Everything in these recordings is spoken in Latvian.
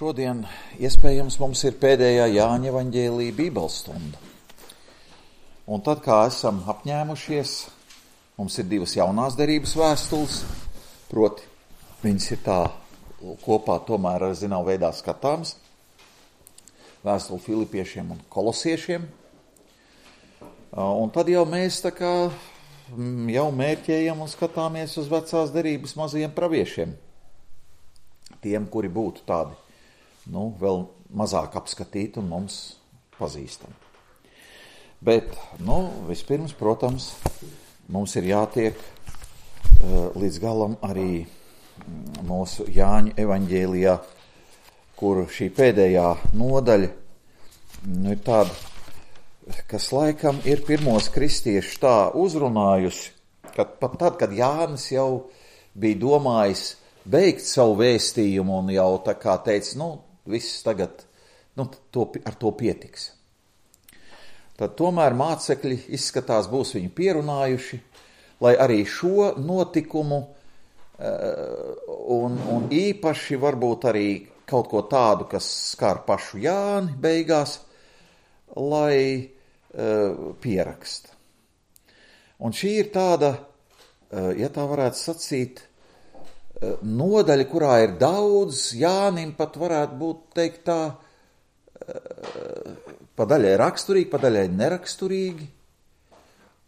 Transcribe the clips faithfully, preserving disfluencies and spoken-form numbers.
Šodien iespējams mums ir pēdējā Jāņa evaņģēlija bībeles stunda. Un tad, kā esam apņēmušies, mums ir divas jaunās derības vēstules, proti viņas ir tā kopā tomēr ar zinām veidā skatāms, vēstuli Filipiešiem un Kolosiešiem. Un tad jau mēs tā kā jau mērķējam un skatāmies uz vecās derības mazajiem praviešiem, tiem, kuri būtu tādi, nu, vēl mazāk apskatīti un mums pazīstami. Bet, nu, vispirms, protams, mums ir jātiek uh, līdz galam arī mūsu Jāņa evaņģēlijā, kur šī pēdējā nodaļa nu, ir tāda, kas laikam ir pirmos kristiešus tā uzrunājusi, kad pat tad, kad Jānis jau bija domājis beigt savu vēstījumu un jau tā kā teica, nu, viss tagad, nu, to, ar to pietiks. Tad tomēr mācekļi izskatās būs viņu pierunājuši, lai arī šo notikumu un, un īpaši varbūt arī kaut ko tādu, kas skar pašu Jāni beigās, lai uh, pieraksta. Un šī ir tāda, uh, ja tā varētu sacīt, uh, nodaļa, kurā ir daudz, Jānim pat varētu būt teikt tā, uh, pa daļai raksturīgi, pa daļai neraksturīgi,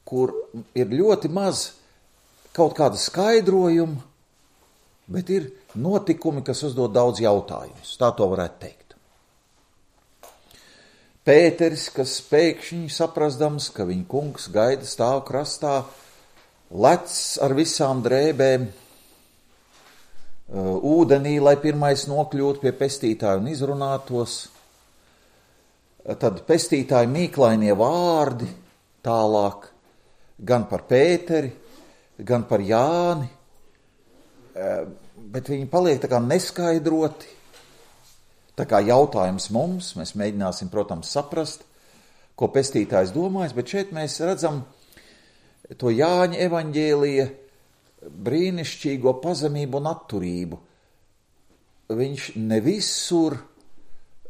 kur ir ļoti maz kaut kāda skaidrojuma, bet ir notikumi, kas uzdod daudz jautājumus. Tā to varētu teikt. Pēteris, kas pēkšņi saprastams, ka viņa kungs gaida stāv krastā, lec ar visām drēbēm ūdenī, lai pirmais nokļūtu pie pestītāja un izrunātos. Tad pestītāji mīklainie vārdi tālāk gan par Pēteri, gan par Jāni, bet viņi paliek tā kā neskaidroti. Tā kā jautājums mums, mēs mēģināsim, protams, saprast, ko pestītājs domājis, bet šeit mēs redzam to Jāņa evaņģēlija brīnišķīgo pazemību un atturību. Viņš ne visur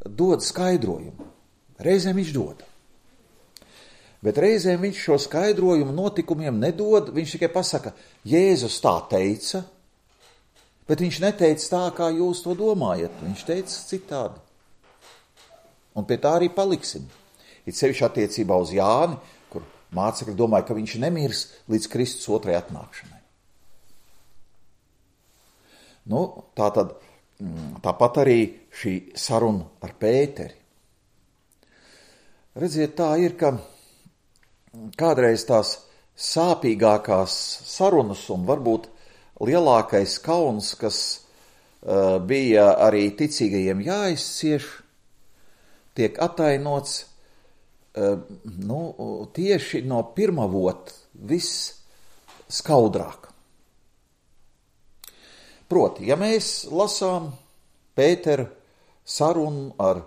dod skaidrojumu. Reizēm viņš dod. Bet reizēm viņš šo skaidrojumu notikumiem nedod, viņš tikai pasaka, Jēzus tā teica, bet viņš neteica tā, kā jūs to domājat. Viņš teica citādi. Un pie tā arī paliksim. It sevišķi attiecībā uz Jāni, kur mācekļi domāja, ka viņš nemirs līdz Kristus otrai atnākšanai. Nu, tā tad, tāpat arī šī saruna ar Pēteri. Redziet, tā ir, ka kādreiz tās sāpīgākās sarunas un varbūt lielākais kauns, kas uh, bija arī ticīgajiem jāizcieš, tiek atainots uh, nu, tieši no pirmavot viss skaudrāk. Proti, ja mēs lasām Pētera sarunu ar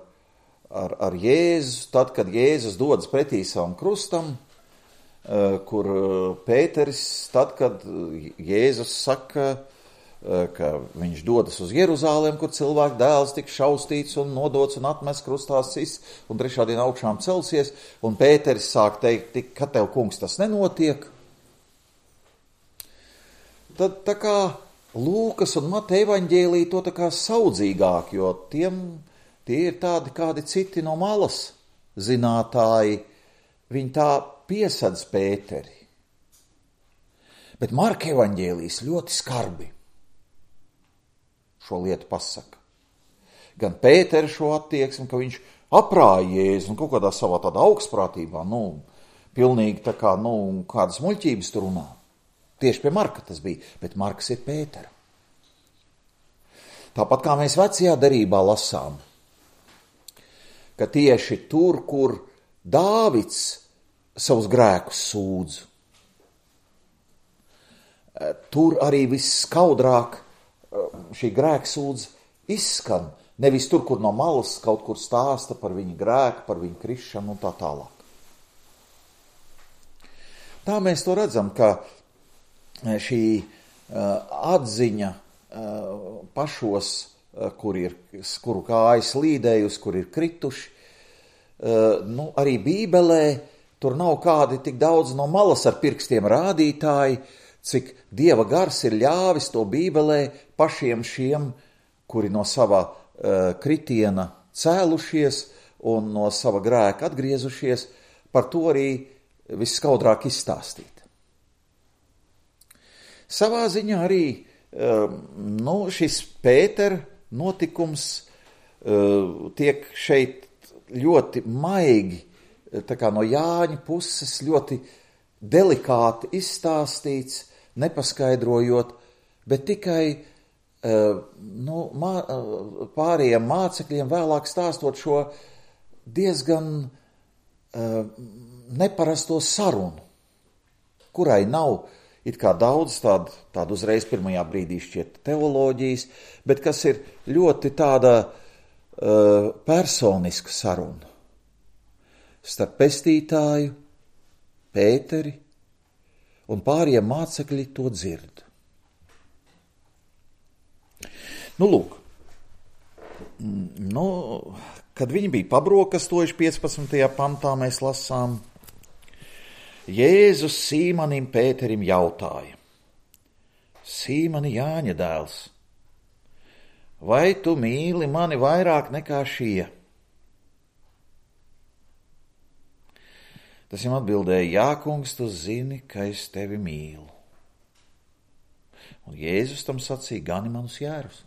Ar, ar Jēzu, tad, kad Jēzus dodas pretī savam krustam, kur Pēteris, tad, kad Jēzus saka, ka viņš dodas uz Jeruzālēm, kur cilvēku dēls tiks šaustīts un nodots un atmests krustā sis, un trešā diena augšām celsies, un Pēteris sāk teikt, ka tev, kungs, tas nenotiek. Tad tā kā Lūkas un Mateja evaņģēlija to tā kā saudzīgāk, jo tiem Tie ir tādi kādi citi no malas zinātāji, viņi tā piesadz Pēteri. Bet Marka evaņģēlijs ļoti skarbi šo lietu pasaka. Gan Pēteri šo attieksmi, ka viņš aprāja Jēzu un kaut kādā savā tādā augstprātībā, nu, pilnīgi tā kā, nu, kādas muļķības tur runā. Tieši pie Marka tas bija, bet Marks ir Pētera. Tāpat kā mēs vecajā derībā lasām, ka tieši tur, kur Dāvids savus grēkus sūdz, tur arī visskaudrāk šī grēksūdze izskan. Nevis tur, kur no malas kaut kur stāsta par viņu grēku, par viņu krišanu un tā tālāk. Tā mēs to redzam, ka šī atziņa pašos kur ir, kuru kājas slīdējusi, kur ir krituši. Nu, arī Bībelē tur nav kādi tik daudz no malas ar pirkstiem rādītāji, cik Dieva gars ir ļāvis to Bībelē pašiem šiem, kuri no sava uh, kritiena cēlušies un no sava grēka atgriezušies, par to arī viskaudrāk izstāstīt. Savā ziņā arī uh, nu, šis Pētera notikums uh, tiek šeit ļoti maigi, tā kā no Jāņa puses ļoti delikāti izstāstīts, nepaskaidrojot, bet tikai nu, mā, pārējiem mācekļiem vēlāk stāstot šo diezgan neparasto sarunu, kurai nav it kā daudz tādu, tādu uzreiz pirmajā brīdī šķiet teoloģijas, bet kas ir ļoti tāda uh, personiska saruna starp pestītāju, Pēteri, un pāriem mācekļi to dzird. Nu, lūk, nu, kad viņi bija pabrokastojuši piecpadsmitajā pantā, mēs lasām, Jēzus Sīmanim Pēterim jautāja, Sīmani Jāņa dēls, vai tu mīli mani vairāk nekā šie? Tas viņam atbildēja, jā, kungs, tu zini, ka es tevi mīlu. Un Jēzus tam sacīja, gani manus jērus.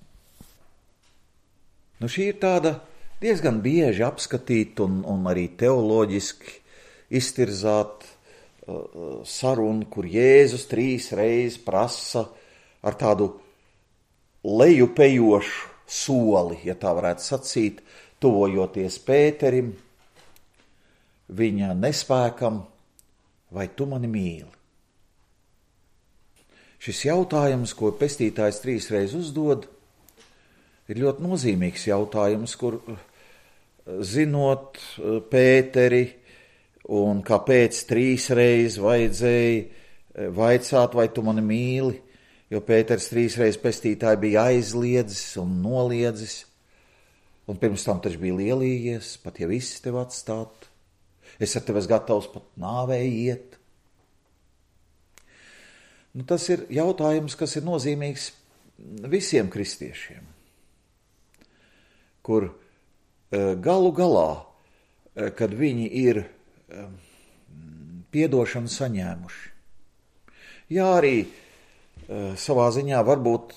Nu, šī ir tāda diezgan bieži apskatīt un, un arī teoloģiski iztirzāt uh, sarunu, kur Jēzus trīs reizes prasa ar tādu lejupējošu soli, ja tā varētu sacīt, tuvojoties Pēterim, viņa nespēkam, vai tu mani mīli? Šis jautājums, ko pestītājs trīs reizes uzdod, ir ļoti nozīmīgs jautājums, kur zinot Pēteri un kāpēc trīs reizes vajadzēja vaicāt, vai tu mani mīli, jo Pēters trīs reizes pestītāji bija aizliedzis un noliedzis, un pirms tam taču bija lielījies, pat ja viss tev atstāt. Es ar tevi esmu gatavs pat nāvē iet. Nu, tas ir jautājums, kas ir nozīmīgs visiem kristiešiem, kur galu galā, kad viņi ir piedošanu saņēmuši. Jā, arī savā ziņā varbūt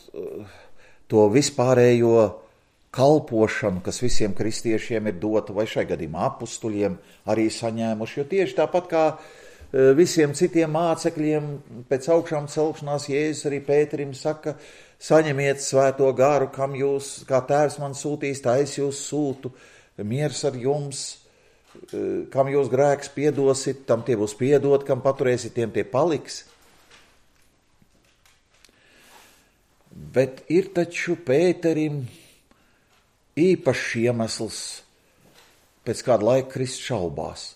to vispārējo kalpošanu, kas visiem kristiešiem ir dota, vai šai gadījumā apustuļiem arī saņēmuši, jo tieši tāpat kā visiem citiem mācekļiem pēc augšām celšanās Jēzus arī Pēterim saka, saņemiet svēto garu, kam jūs, kā tēvs man sūtīs, tā es jūs sūtu, miers ar jums, kam jūs grēks piedosit, tam tie būs piedot, kam paturēsit, tiem tie paliks. Bet ir taču Pēterim īpašs iemesls pēc kāda laika krist šaubās.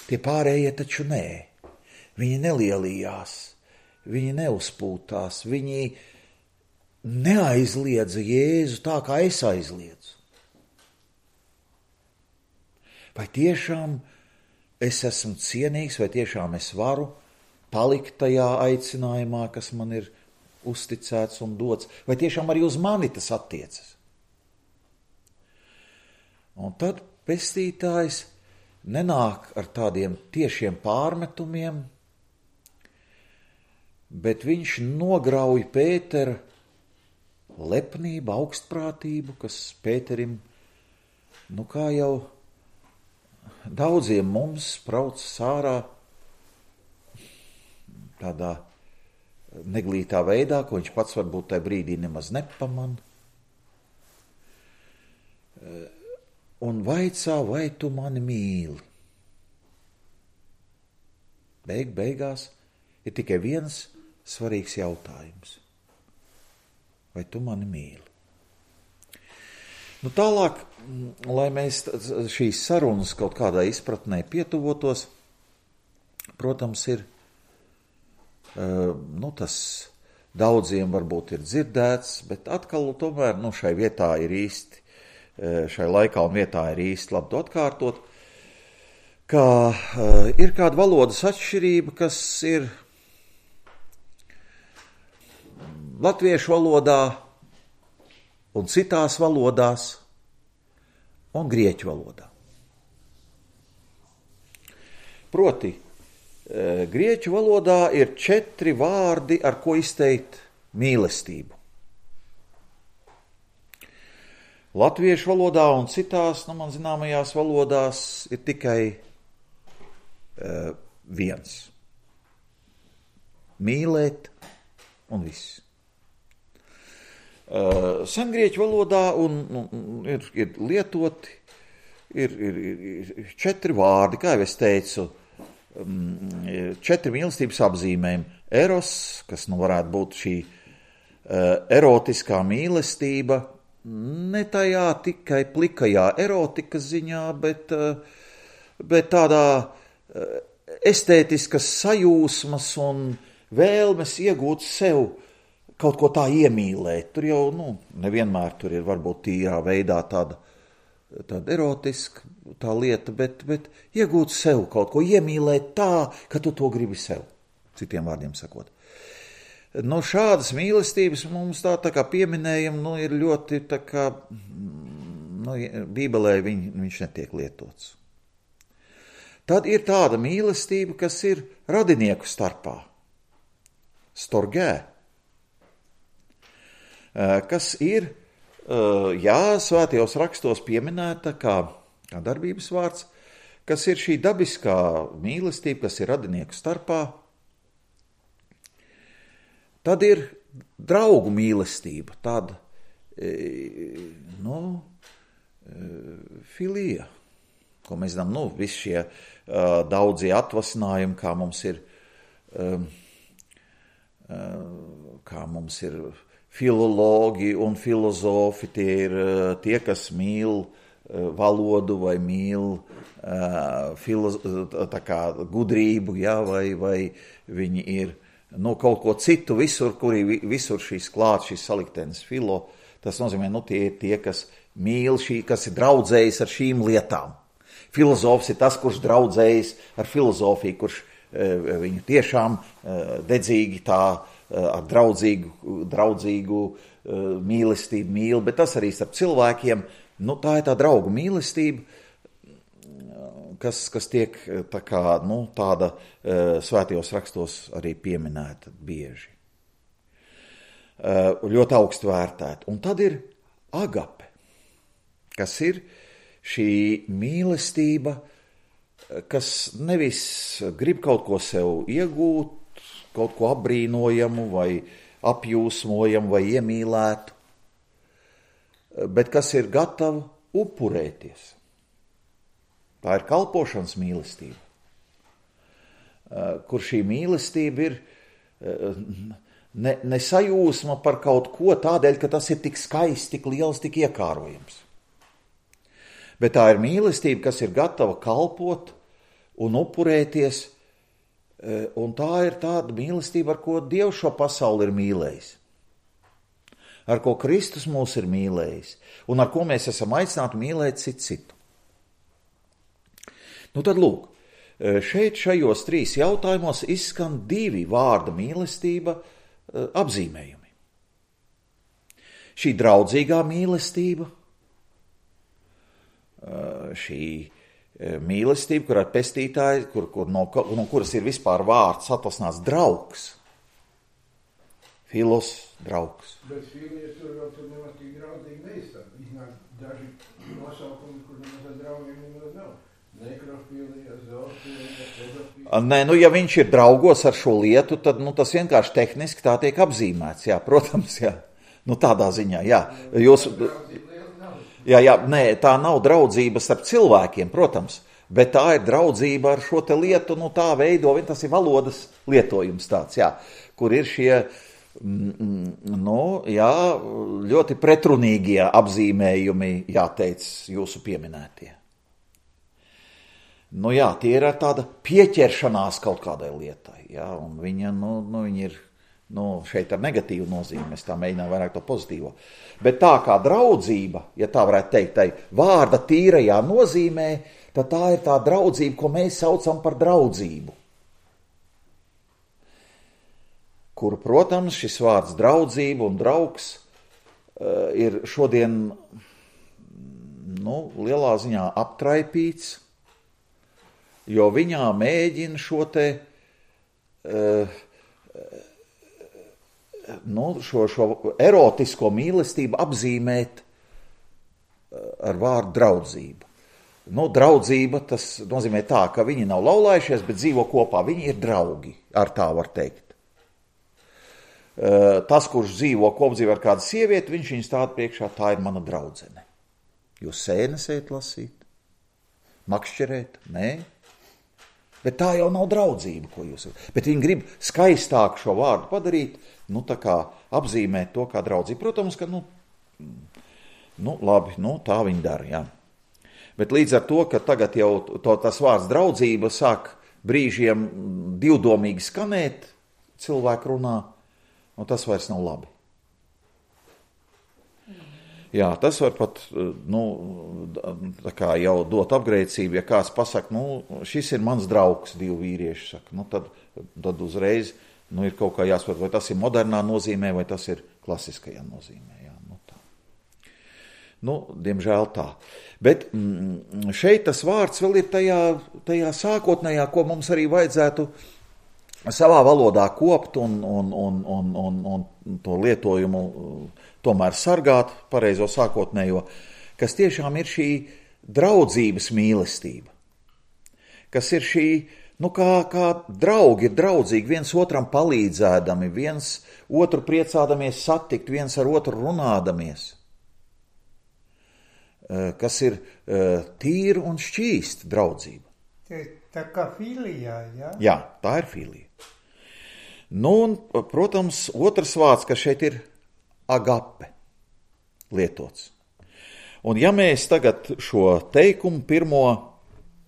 Tie pārējie taču nē. Viņi nelielījās, viņi neuzpūtās, viņi neaizliedza Jēzu tā, kā es aizliedzu. Vai tiešām es esmu cienīgs, vai tiešām es varu palikt tajā aicinājumā, kas man ir uzticēts un dots, vai tiešām arī uz mani tas attiecas? Un tad pestītājs nenāk ar tādiem tiešiem pārmetumiem, bet viņš nograuj Pētera lepnību, augstprātību, kas Pēterim, nu kā jau daudziem mums sprauc sārā tādā neglītā veidā, ko viņš pats varbūt tajā brīdī nemaz nepaman. Un vaicā, vai tu mani mīli? Beig, beigās ir tikai viens svarīgs jautājums. Vai tu mani mīli? Nu, tālāk, lai mēs šīs sarunas kaut kādā izpratnē pietuvotos, protams, ir nu, tas daudziem varbūt ir dzirdēts, bet atkal tomēr nu, šai vietā ir īsti, šai laikā un vietā ir īsti labi to atkārtot, ka uh, ir kāda valodas atšķirība, kas ir latviešu valodā un citās valodās un grieķu valodā. Proti, uh, grieķu valodā ir četri vārdi, ar ko izteikt mīlestību. Latviešu valodā un citās, nu, man zināmajās valodās ir tikai uh, viens. Mīlēt un viss. Uh, sengrieķu valodā un, un, ir, ir lietoti, ir, ir, ir četri vārdi, kā jau es teicu, um, četri mīlestības apzīmējumi. Eros, kas nu varētu būt šī uh, erotiskā mīlestība, ne tajā tikai plikajā erotikas ziņā, bet, bet tādā estētiskas sajūsmas un vēlmes iegūt sev kaut ko tā iemīlēt. Tur jau, nu, nevienmēr tur ir varbūt tīrā veidā tāda, tāda erotiska tā lieta, bet, bet iegūt sev kaut ko, iemīlēt tā, ka tu to gribi sev, citiem vārdiem sakot. Nu, šādas mīlestības mums tā, tā kā pieminējam, nu, ir ļoti tā kā, nu, Bībelē viņ, viņš netiek lietots. Tad ir tāda mīlestība, kas ir radinieku starpā. Storgē. Kas ir, jā, svētajos rakstos pieminēta kā, kā darbības vārds, kas ir šī dabiskā mīlestība, kas ir radinieku starpā. Tad ir draugu mīlestība, tāda, nu, filija, ko mēs zinām, nu, visi šie uh, daudzie atvasinājumi, kā mums ir, um, uh, kā mums ir filologi un filozofi, tie ir uh, tie, kas mīl uh, valodu vai mīl uh, filo, tā kā gudrību, ja, vai, vai viņi ir nu, kaut ko citu, visur, kurī visur šīs klāt, šīs saliktenes filo, tas nozīmē, nu, tie ir tie, kas mīl šī, kas ir draudzējis ar šīm lietām. Filozofs ir tas, kurš draudzējis ar filozofiju, kurš e, viņu tiešām e, dedzīgi tā, e, ar draudzīgu, draudzīgu e, mīlestību mīl, bet tas arī starp cilvēkiem, nu, tā ir tā draugu mīlestība, Kas, kas tiek tā kā, nu, tāda uh, svētajos rakstos arī pieminēta bieži. Uh, ļoti augstu vērtēta. Un tad ir agape, kas ir šī mīlestība, kas nevis grib kaut ko sev iegūt, kaut ko apbrīnojamu vai apjūsmojamu vai iemīlētu, bet kas ir gatava upurēties. Tā ir kalpošanas mīlestība, kur šī mīlestība ir ne, ne sajūsma par kaut ko tādēļ, ka tas ir tik skaists, tik liels, tik iekārojams. Bet tā ir mīlestība, kas ir gatava kalpot un upurēties, un tā ir tāda mīlestība, ar ko Dievs šo pasauli ir mīlējis, ar ko Kristus mūs ir mīlējis, un ar ko mēs esam aicināti mīlēt citu citu. Nu tad lūk, šeit šajos trīs jautājumos izskan divi vārda mīlestība apzīmējumi. Šī draudzīgā mīlestība, šī mīlestība, kur ar pestītāji, kur, kur no, no kuras ir vispār vārds atvasināts draugs. Filos, draugs. Bet filija tur vēl tur nemaz tik draudzīgi neizstāv. Iznāk daži nosaukumi, kur nemaz ar draugiem nemaz nav. Nekrofilija, zoofilija, pedofilija. Nē, nu, ja viņš ir draugos ar šo lietu, tad, nu, tas vienkārši tehniski tā tiek apzīmēts, jā, protams, jā. Nu, tādā ziņā, jā. Jūs, jā, jā, nē, tā nav draudzība starp cilvēkiem, protams, bet tā ir draudzība ar šo te lietu, nu, tā veido, tas ir valodas lietojums tāds, jā, kur ir šie, nu, jā, ļoti pretrunīgie apzīmējumi, jāteic, jūsu pieminētie. Nu jā, tie ir tāda pieķeršanās kaut kādai lietai, jā, un viņa, nu, nu, viņa ir Nu, šeit ar negatīvu nozīmi, es tā mēģināju vairāk to pozitīvo. Bet tā kā draudzība, ja tā varētu teikt, tai vārda tīrajā nozīmē, tad tā ir tā draudzība, ko mēs saucam par draudzību. Kur, protams, šis vārds draudzība un draugs uh, ir šodien nu, lielā ziņā aptraipīts, jo viņā mēģina šo te uh, Nu, šo, šo erotisko mīlestību apzīmēt ar vārdu draudzība. Nu, draudzība tas nozīmē tā, ka viņi nav laulājušies, bet dzīvo kopā. Viņi ir draugi, ar tā var teikt. Tas, kurš dzīvo kopdzīvē ar kādu sievieti, viņš viņu stāda priekšā, tā ir mana draudzene. Jūs sēnes ejat lasīt, makšķerēt, nē? Bet tā jau nav draudzība, ko jūs... Bet viņi grib skaistāk šo vārdu padarīt, nu tā kā apzīmēt to kā draudzību. Protams, ka, nu, nu labi, nu tā viņi dara, jā. Bet līdz ar to, ka tagad jau to, tas vārds draudzība sāk brīžiem divdomīgi skanēt, cilvēku runā, un tas vairs nav labi. Jā, tas var pat, nu, tā kā jau dot apgrēcību, ja kāds pasaka, nu, šis ir mans draugs, divi vīrieši saka, nu, tad, tad uzreiz, nu, ir kaut kā jāsaprot, vai tas ir modernā nozīmē, vai tas ir klasiskajā nozīmē, jā, nu, tā. Nu, diemžēl tā. Bet šeit tas vārds vēl ir tajā, tajā sākotnējā, ko mums arī vajadzētu savā valodā kopt un, un, un, un, un, un to lietojumu tomēr sargāt, pareizo sākotnējo, kas tiešām ir šī draudzības mīlestība. Kas ir šī, nu kā, kā draugi ir draudzīgi, viens otram palīdzēdami, viens otru priecādamies satikt, viens ar otru runādamies. Kas ir tīra un šķīsta draudzība. Tā kā filijā, jā? Jā, tā ir filija. Nu, un, protams, otrs vārds, kas šeit ir agape lietots. Un ja mēs tagad šo teikumu pirmo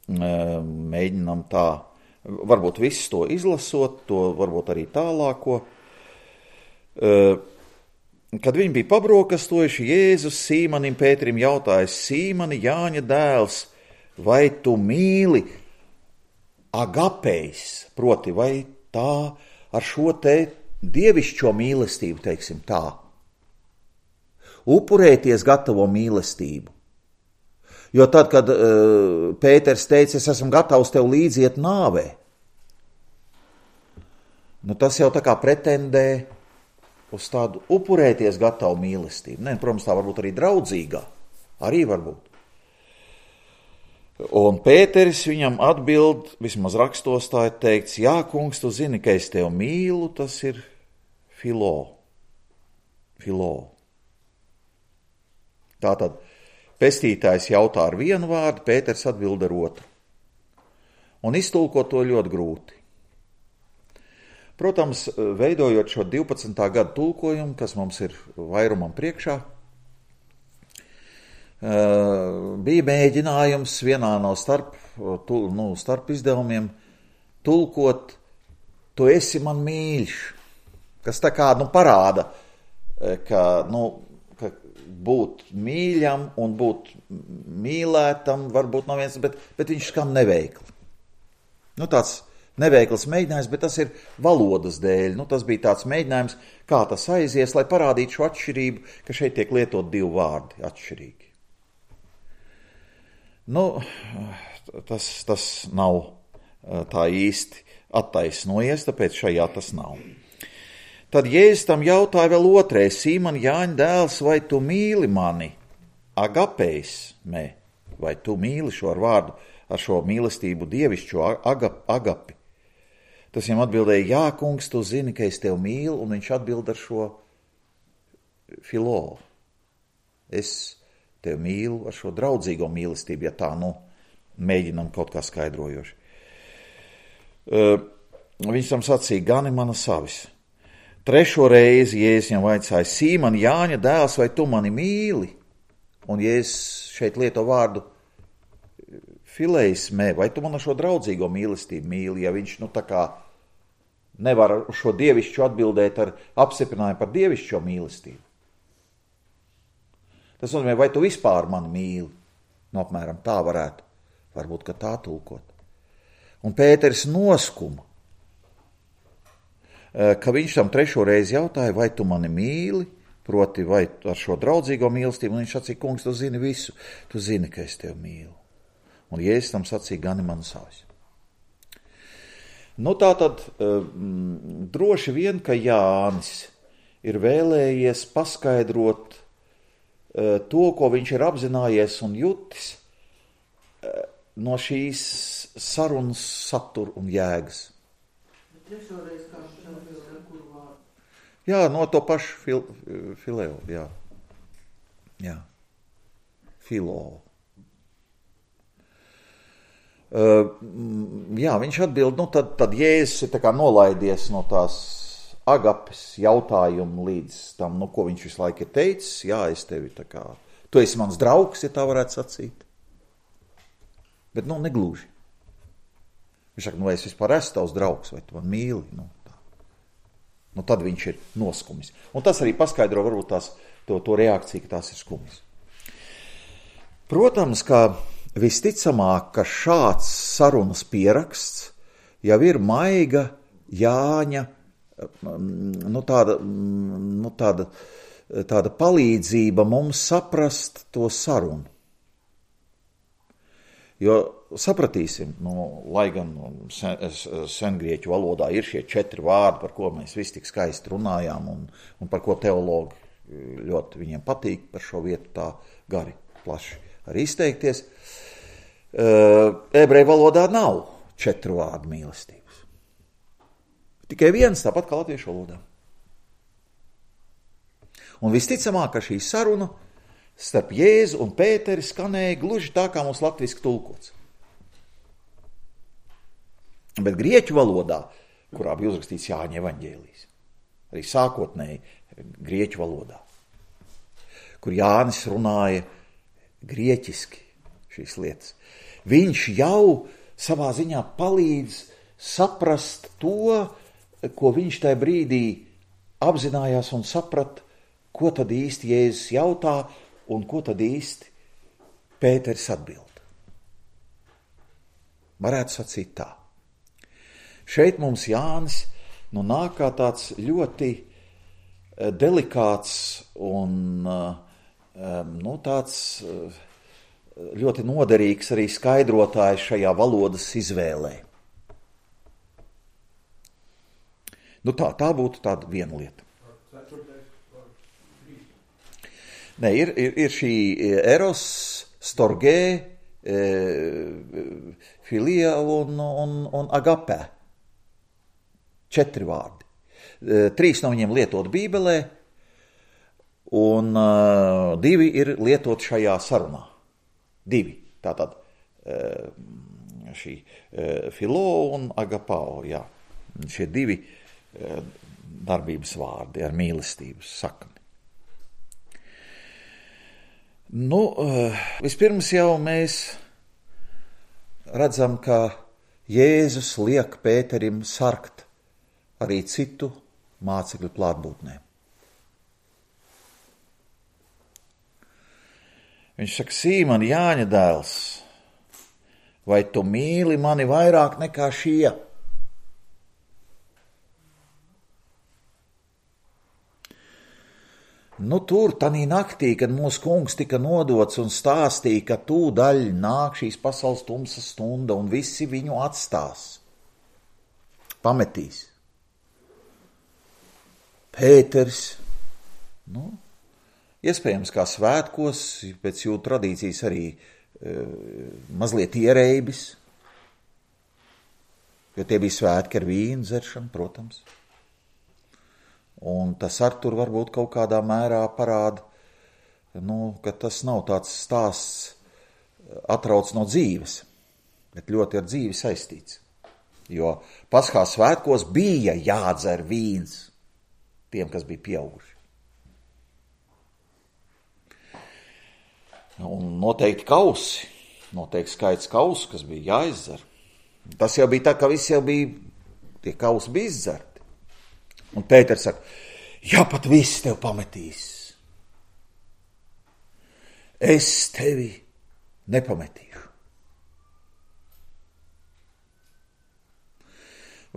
mēģinām tā, varbūt visu to izlasot, to varbūt arī tālāko, kad viņi bija pabrokastojuši, Jēzus Sīmanim Pēterim jautājas, Sīmani, Jāņa dēls, vai tu mīli agapejs, proti vai tā ar šo te dievišķo mīlestību, teiksim tā, upurēties gatavo mīlestību. Jo tad, kad uh, Pēters teica, es esmu gatavs tev līdziet nāvē, nu tas jau tā kā pretendē uz tādu upurēties gatavu mīlestību. Nē, protams, tā varbūt arī draudzīgā, arī varbūt. Un Pēteris viņam atbild, vismaz rakstos tā ir teikts, jā, kungs, tu zini, ka es tev mīlu, tas ir filo. Filo. Tātad pestītājs jautā ar vienu vārdu, Pēters atbild ar otru. Un iztulkot to ļoti grūti. Protams, veidojot šo divpadsmitā gadu tulkojumu, kas mums ir vairumam priekšā, bija mēģinājums vienā no starp, nu, starp izdevumiem tulkot, tu esi man mīļš, kas tā kā nu, parāda, ka, nu, ka būt mīļam un būt mīlētam varbūt nav viens, bet, bet viņš skan neveikli. Nu, tāds neveikls mēģinājums, bet tas ir valodas dēļ. Nu, tas bija tāds mēģinājums, kā tas aizies, lai parādītu šo atšķirību, ka šeit tiek lietot divi vārdi atšķirīgi. Nu, tas, tas nav tā īsti attaisnojies, tāpēc šajā tas nav. Tad Jēzus tam jautāja vēl otrais, Sīman Jāņa dēls, vai tu mīli mani? Agapejs, mē, vai tu mīli šo ar vārdu, ar šo mīlestību dievišķo agap, agapi? Tas viņam atbildēja, jā, kungs, tu zini, ka es tev mīlu, un viņš atbild ar šo filo. Es tev mīlu ar šo draudzīgo mīlestību, ja tā, nu, mēģinam kaut kā skaidrojoši. Uh, viņš tam sacīja, gani mana savis. Trešo reizi Jēzus viņam vaicāja, Sīman, Jāņa dēls, vai tu mani mīli? Un Jēzus šeit lieto vārdu fileismē, vai tu man ar šo draudzīgo mīlestību mīli, ja viņš, nu, tā kā nevar uz šo dievišķu atbildēt ar apstiprinājumu par dievišķo mīlestību. Tas nozīmē, vai tu vispār mani mīli? Nu, apmēram tā varētu, varbūt, ka tā tulkot. Un Pēteris noskuma, ka viņš tam trešo reizi jautāja, vai tu mani mīli, proti, vai ar šo draudzīgo mīlestību, un viņš sacīja, kungs, tu zini visu, tu zini, ka es tevi mīlu. Un Jēzus tam sacīja, gani man savs. Nu, tā tad um, droši vien, ka Jānis ir vēlējies paskaidrot uh, to, ko viņš ir apzinājies un jutis uh, no šīs sarunas satura un jēgas. Trešoreiz kā ar kuru vārdu? Jā, no to pašu fil, fileo, jā. Jā. Filoo. Uh, jā, viņš atbild, nu tad, tad Jēzus ir tā kā nolaidies no tās agapes jautājumu līdz tam, nu ko viņš visu laiku ir teicis, jā, es tevi tā kā, tu esi mans draugs, ja tā varētu sacīt. Bet, nu, negluži. Viņš saka, nu, vai es vispār esmu tavs draugs, vai tu man mīli, nu, tā. Nu, tad viņš ir noskumis. Un tas arī paskaidro varbūt tās, to, to reakciju, ka tās ir skumis. Protams, ka visticamāk, ka šāds sarunas pieraksts jau ir maiga Jāņa, nu tāda, nu tāda, tāda palīdzība mums saprast to sarunu. Jo sapratīsim, nu, lai gan sen, sengrieķu valodā ir šie četri vārdi, par ko mēs visi tik skaisti runājām un, un par ko teologi ļoti viņiem patīk par šo vietu tā gari, plaši arī izteikties. Ebreju valodā nav četru vārdu mīlestības. Tikai viens, tāpat kā latviešu valodā. Un visticamāk, ka šī saruna starp Jēzu un Pēteri skanēja gluži tā, kā mums latviski tulkots. Bet grieķu valodā, kurā bija uzrakstīts Jāņa evaņģēlijs, arī sākotnēji grieķu valodā, kur Jānis runāja grieķiski šīs lietas, viņš jau savā ziņā palīdz saprast to, ko viņš tajā brīdī apzinājās un saprat, ko tad īsti Jēzus jautā un ko tad īsti Pēteris atbild. Varētu sacīt tā. Šeit mums Jānis nu, nāk kā tāds ļoti delikāts un nu, tāds ļoti noderīgs arī skaidrotājs šajā valodas izvēlē. Nu tā, tā būtu tāda viena lieta. Nē, ir, ir, ir šī eros, storgē, e, filia un, un, un agapē. Četri vārdi. E, trīs no viņiem lietot Bībelē, un uh, divi ir lietot šajā sarunā. Divi. Tātad uh, šī uh, filo un agapao, jā. Šie divi uh, darbības vārdi ar mīlestības sakni. Nu, uh, vispirms jau mēs redzam, ka Jēzus liek Pēterim sargt arī citu mācekļu klātbūtnē. Viņš saka, Sīmon, Jāņa dēls, vai tu mīli mani vairāk nekā šie? Nu, tur, tanī naktī, kad mūsu kungs tika nodots un stāstīja, ka tūdaļ nāk šīs pasaules tumsas stunda un visi viņu atstās, pametīs. Pēteris, nu, iespējams, kā svētkos, pēc jūtu tradīcijas arī e, mazliet ierēbis, jo tie bija svētki ar vīnu dzeršanu, protams. Un tas ar tur varbūt kaut kādā mērā parāda, nu, ka tas nav tāds stāsts atrauc no dzīves, bet ļoti ar dzīvi saistīts. Jo Paskā svētkos bija jādzer vīns tiem, kas bija pieauguši. Un noteikti kausi, noteikti skaits kausu, kas bija jāizdzer. Tas jau bija tā, ka visi jau bija, tie kausi bija izdzerti. Un Pēters saka, ja pat viss tev pametīs, es tevi nepametīšu.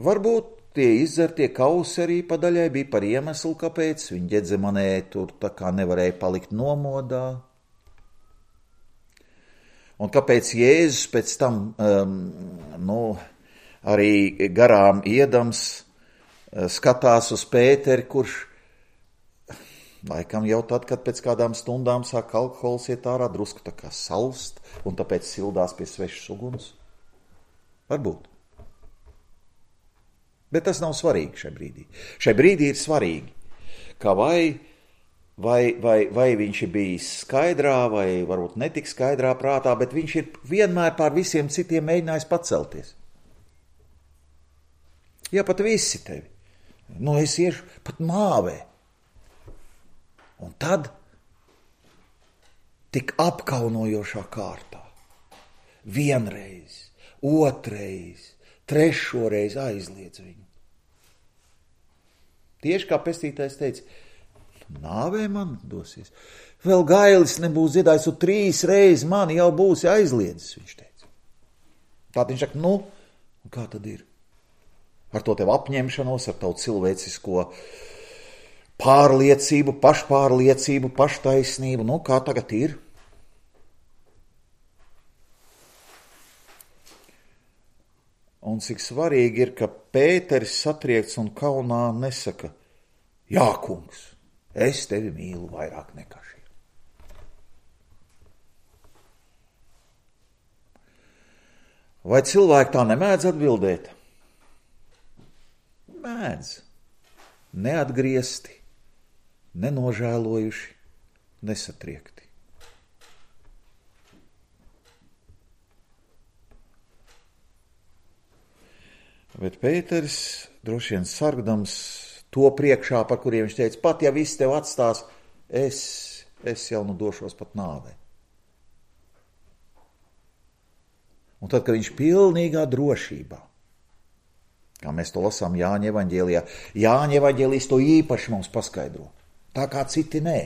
Varbūt tie izzertie kausi arī padaļai bija par iemeslu, kāpēc viņi Ģedzemanē tur tā kā nevarēja palikt nomodā. Un kāpēc Jēzus pēc tam, um, nu, arī garām iedams skatās uz Pēteri, kurš laikam jau tad, kad pēc kādām stundām sāk alkohols iet ārā, drusku tā kā salst, un tāpēc sildās pie svešas uguns. Varbūt. Bet tas nav svarīgi šai brīdī. Šai brīdī ir svarīgi, ka vai, vai, vai, vai viņš ir bijis skaidrā, vai varbūt netik skaidrā prātā, bet viņš ir vienmēr pār visiem citiem mēģinājis pacelties. Ja pat visi tevi, nu es iešu pat nāvē. Un tad tik apkaunojošā kārtā vienreiz, otrais, trešoreiz aizliedz viņu. Tieši kā pestītājs teica, nāvē man dosies. Vēl gailis nebūs dziedājis, un trīs reizes mani jau būsi aizliedzis, viņš teica. Tā viņš saka, nu, un kā tad ir? Ar to tev apņemšanos, ar tavu cilvēcisko pārliecību, pašpārliecību, paštaisnību, nu, kā tagad ir? Un cik svarīgi ir, ka Pēteris satriekts un kaunā nesaka, jā, kungs, es tevi mīlu vairāk nekā šī. Vai cilvēki tā nemēdz atbildēt? Mēdz. Neatgriezti, nenožēlojuši, nesatriekti. Bet Pēteris, droši vien sargdams to priekšā, par kuriem viņš teica, pat ja viss tev atstās, es, es jau nu došos pat nāvē. Un tad, kad viņš pilnīgā drošībā, kā mēs to lasām Jāņa evaņģēlijā, Jāņa evaņģēlijs to īpaši mums paskaidro, tā kā citi nē.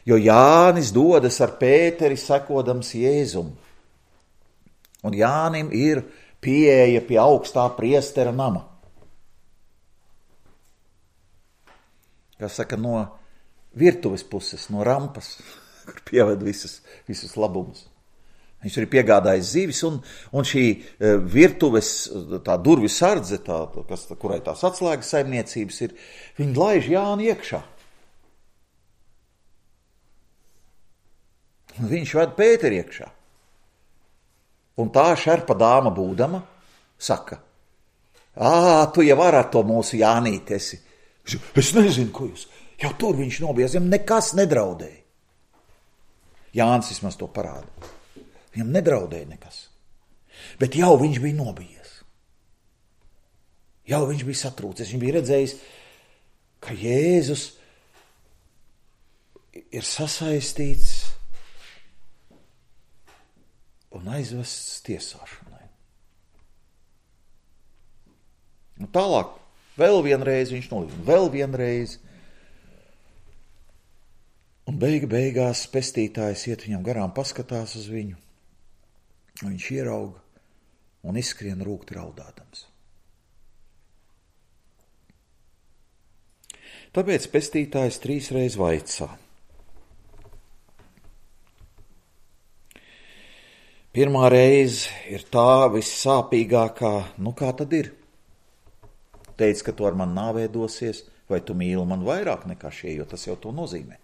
Jo Jānis dodas ar Pēteri sekodams Jēzum, un Jānim ir pieeja pie augstā priestera nama. Kā saka, no virtuves puses, no rampas, kur pieved visas, visus labumus. Viņš arī piegādājis zivis, un, un šī virtuves, tā durvju sardze, tā, kas, kurai tās atslēgas saimniecības ir, viņi laiž Jāni iekšā. Un viņš ved Pēteri iekšā. Un tā šerpa dāma būdama saka, ā, tu jau ar to mūsu Jānīti esi. Es nezinu, ko jūs, jau tur viņš nobies, viņam nekas nedraudēja. Jānis vismaz to parāda. Viņam nedraudēja nekas. Bet jau viņš bija nobijies. Jau viņš bija satrūcies. Viņš bija redzējis, ka Jēzus ir sasaistīts un aizvests tiesāšanai. Un tālāk, vēl vienreiz viņš nolīdz, vēl vienreiz. Un beiga beigās pestītājs iet viņam garām, paskatās uz viņu. Viņš ierauga un izskrien rūkti raudādams. Tāpēc pestītājs trīsreiz vaicā. Pirmā reize ir tā vissāpīgākā, nu kā tad ir? Teic, ka tu ar mani nāvē dosies, vai tu mīli man vairāk nekā šie, jo tas jau to nozīmē,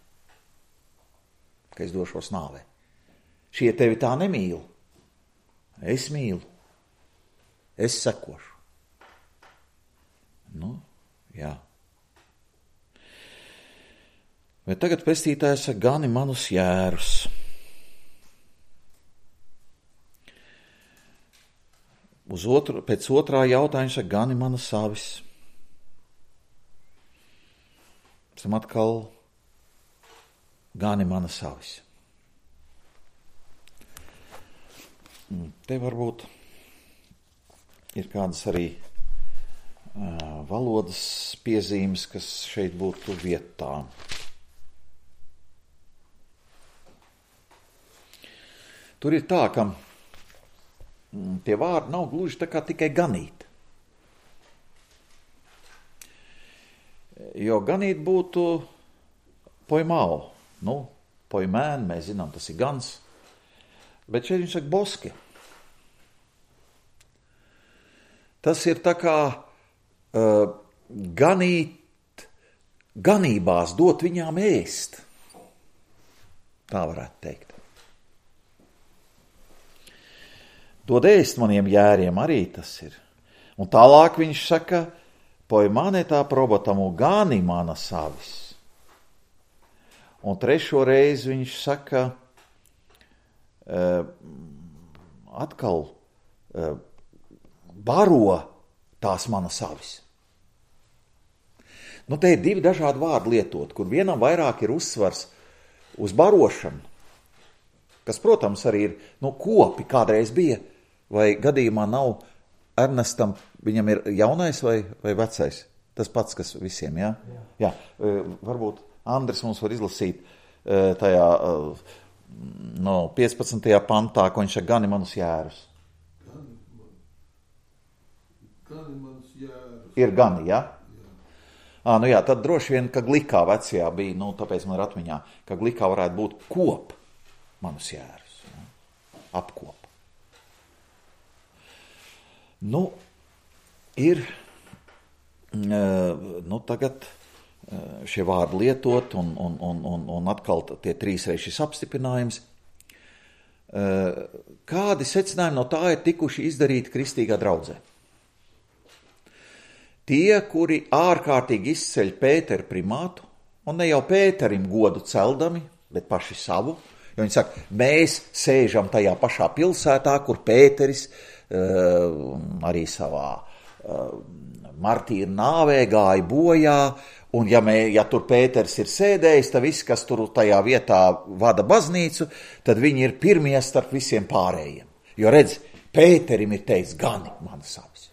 ka es došos nāvē. Šie tevi tā nemīl. Es mīlu. Es sekošu. Nu, jā. Bet tagad pestītājs saka, gani manus jērus. Uz otru, pēc otrā jautājuma saka, gani manas avis. Esam atkal gani manas avis. Te varbūt ir kādas arī valodas piezīmes, kas šeit būtu vietā. Tur ir tā, ka tie vārdi nav gluži tā kā tikai ganīt. Jo ganīt būtu poimau. Nu, poimēn, mēs zinām, tas ir gans. Bet šeit viņš saka boski. Tas ir tā kā uh, ganīt, ganībās dot viņām ēst. Tā varētu teikt. Dod ēst maniem jēriem arī tas ir. Un tālāk viņš saka, poimāne tā probotamu gani mana savis. Un trešo reizi viņš saka, uh, atkal uh, baro tās mana savis. Nu, te ir divi dažādi vārdi lietot, kur vienam vairāk ir uzsvars uz barošanu, kas, protams, arī ir, nu, kopi kādreiz bija, vai gadījumā nav Ernestam, viņam ir jaunais vai, vai vecais? Tas pats, kas visiem, jā? Jā. Jā. Varbūt Andris mums var izlasīt tajā, no piecpadsmitajā pantā, ko viņš saka, gani manus jērus. Gani manus jērus. Ir gani, jā? Jā. À, nu jā, tad droši vien, ka glikā vecajā bija, nu, tāpēc man ir atmiņā, ka glikā varētu būt kop manus jērus. Jā? Apkop. Nu, ir, nu, tagad šie vārdi lietot un, un, un, un, un atkal tie trīsreiz šis apstiprinājums. Kādi secinājumi no tā ir tikuši izdarīti kristīgā draudzē? Tie, kuri ārkārtīgi izceļ Pēteru primātu, un ne jau Pēterim godu celdami, bet paši savu, jo viņi saka, mēs sēžam tajā pašā pilsētā, kur Pēteris uh, arī savā uh, martīra nāvē gāja bojā, un ja, mē, ja tur Pēters ir sēdējis, tad viss, kas tur tajā vietā vada baznīcu, tad viņi ir pirmie starp visiem pārējiem. Jo redz, Pēterim ir teicis, gani mana savis.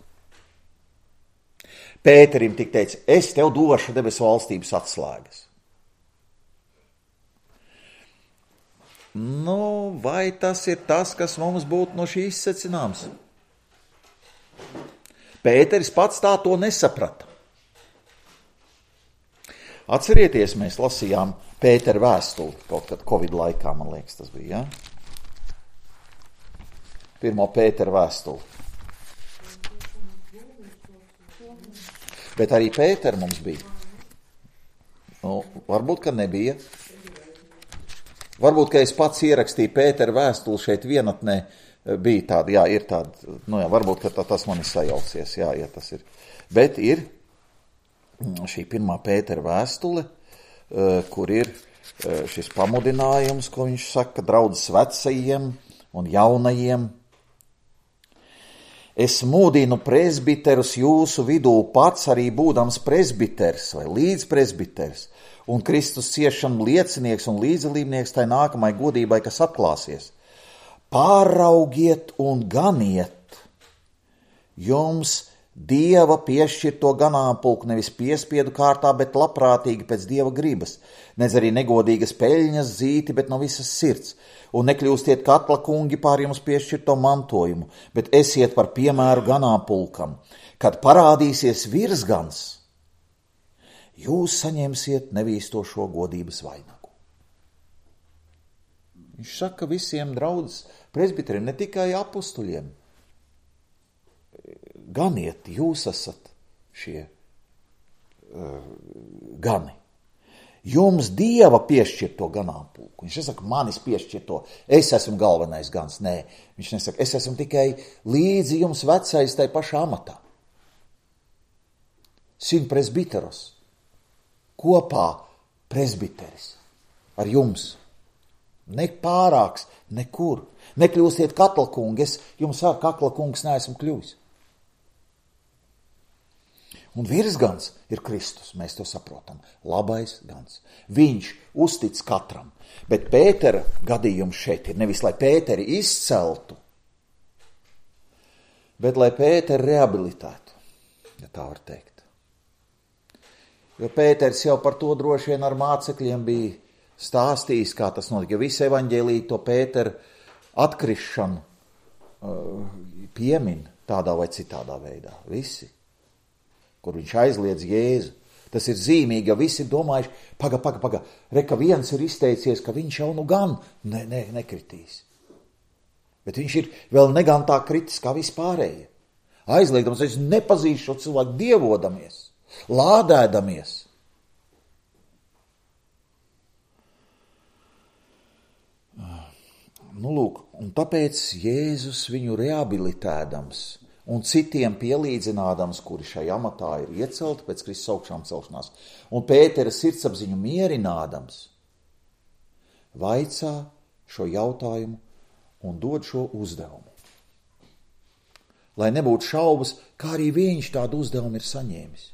Pēterim tik teica, es tev došu debesu valstības atslēgas. Nu, vai tas ir tas, kas mums būtu no šī izsecināms? Pēteris pats tā to nesaprata. Atcerieties, mēs lasījām Pētera vēstuli, kaut kad Covid laikā, man liekas, tas bija, ja? Pirmo Pētera vēstuli. Bet arī Pētera mums bija. Nu, varbūt, ka nebija. Varbūt, ka es pats ierakstīju Pētera vēstuli šeit vienatnē, bija tāda, jā, ir tāda, nu jā, varbūt, ka tā, tas man ir sajaucies, jā, ja tas ir. Bet ir šī pirmā Pētera vēstule, kur ir šis pamudinājums, ko viņš saka, draudzes vecajiem un jaunajiem. Es mūdinu presbiterus jūsu vidū pats arī būdams presbiters vai līdzpresbiters un Kristus ciešanu liecinieks un līdzdalībnieks tai nākamai godībai, kas atklāsies. Pāraugiet un ganiet jums Dieva piešķirto ganāmpulku nevis piespiedu kārtā, bet labprātīgi pēc Dieva gribas, nedz arī negodīgas peļņas zīti, bet no visas sirds. Un nekļūstiet katla kungi pār jums piešķirto mantojumu, bet esiet par piemēru ganāmpulkam. Kad parādīsies virsgans, jūs saņemsiet nevīstošo godības vainagu. Viņš saka visiem draudzes presbiteriem, ne tikai apustuļiem. Ganiet, jūs esat šie uh, gani. Jums Dieva piešķirto ganāmpulku. Viņš nesaka, manis piešķirto, es esmu galvenais gans. Nē, viņš nesaka, es esmu tikai līdzi jums vecais tai pašā amatā. Sin presbiteros. Kopā presbiteris ar jums. Ne pārāks, nekur. Nekļūstiet kaklakungi, es jums ar kaklakungs neesmu kļuvis. Un virsgans ir Kristus, mēs to saprotam, labais gans. Viņš uztic katram, bet Pētera gadījums šeit ir nevis, lai Pēteri izceltu, bet lai Pēteri rehabilitētu. ja tā var teikt. Jo Pēters jau par to droši vien ar mācekļiem bija stāstījis, kā tas notika, jo visi evaņģēlī to Pēteru atkrišanu uh, piemin tādā vai citādā veidā. Visi, kur viņš aizliedz Jēzu. Tas ir zīmīgi, jo visi ir domājuši, paga, paga, paga, reka viens ir izteicies, ka viņš jau nu gan ne, ne, nekritīs. Bet viņš ir vēl negan tā kritis kā vispārējie. Aizliegdams, es nepazīšu šo cilvēku dievodamies, lādēdamies. Nu, lūk, un tāpēc Jēzus viņu rehabilitēdams un citiem pielīdzinādams, kuri šai amatā ir iecelti pēc Kristus augšām celšanās, un Pētera sirdsapziņu mierinādams, vaicā šo jautājumu un dod šo uzdevumu. Lai nebūtu šaubas, kā arī viņš tādu uzdevumu ir saņēmis.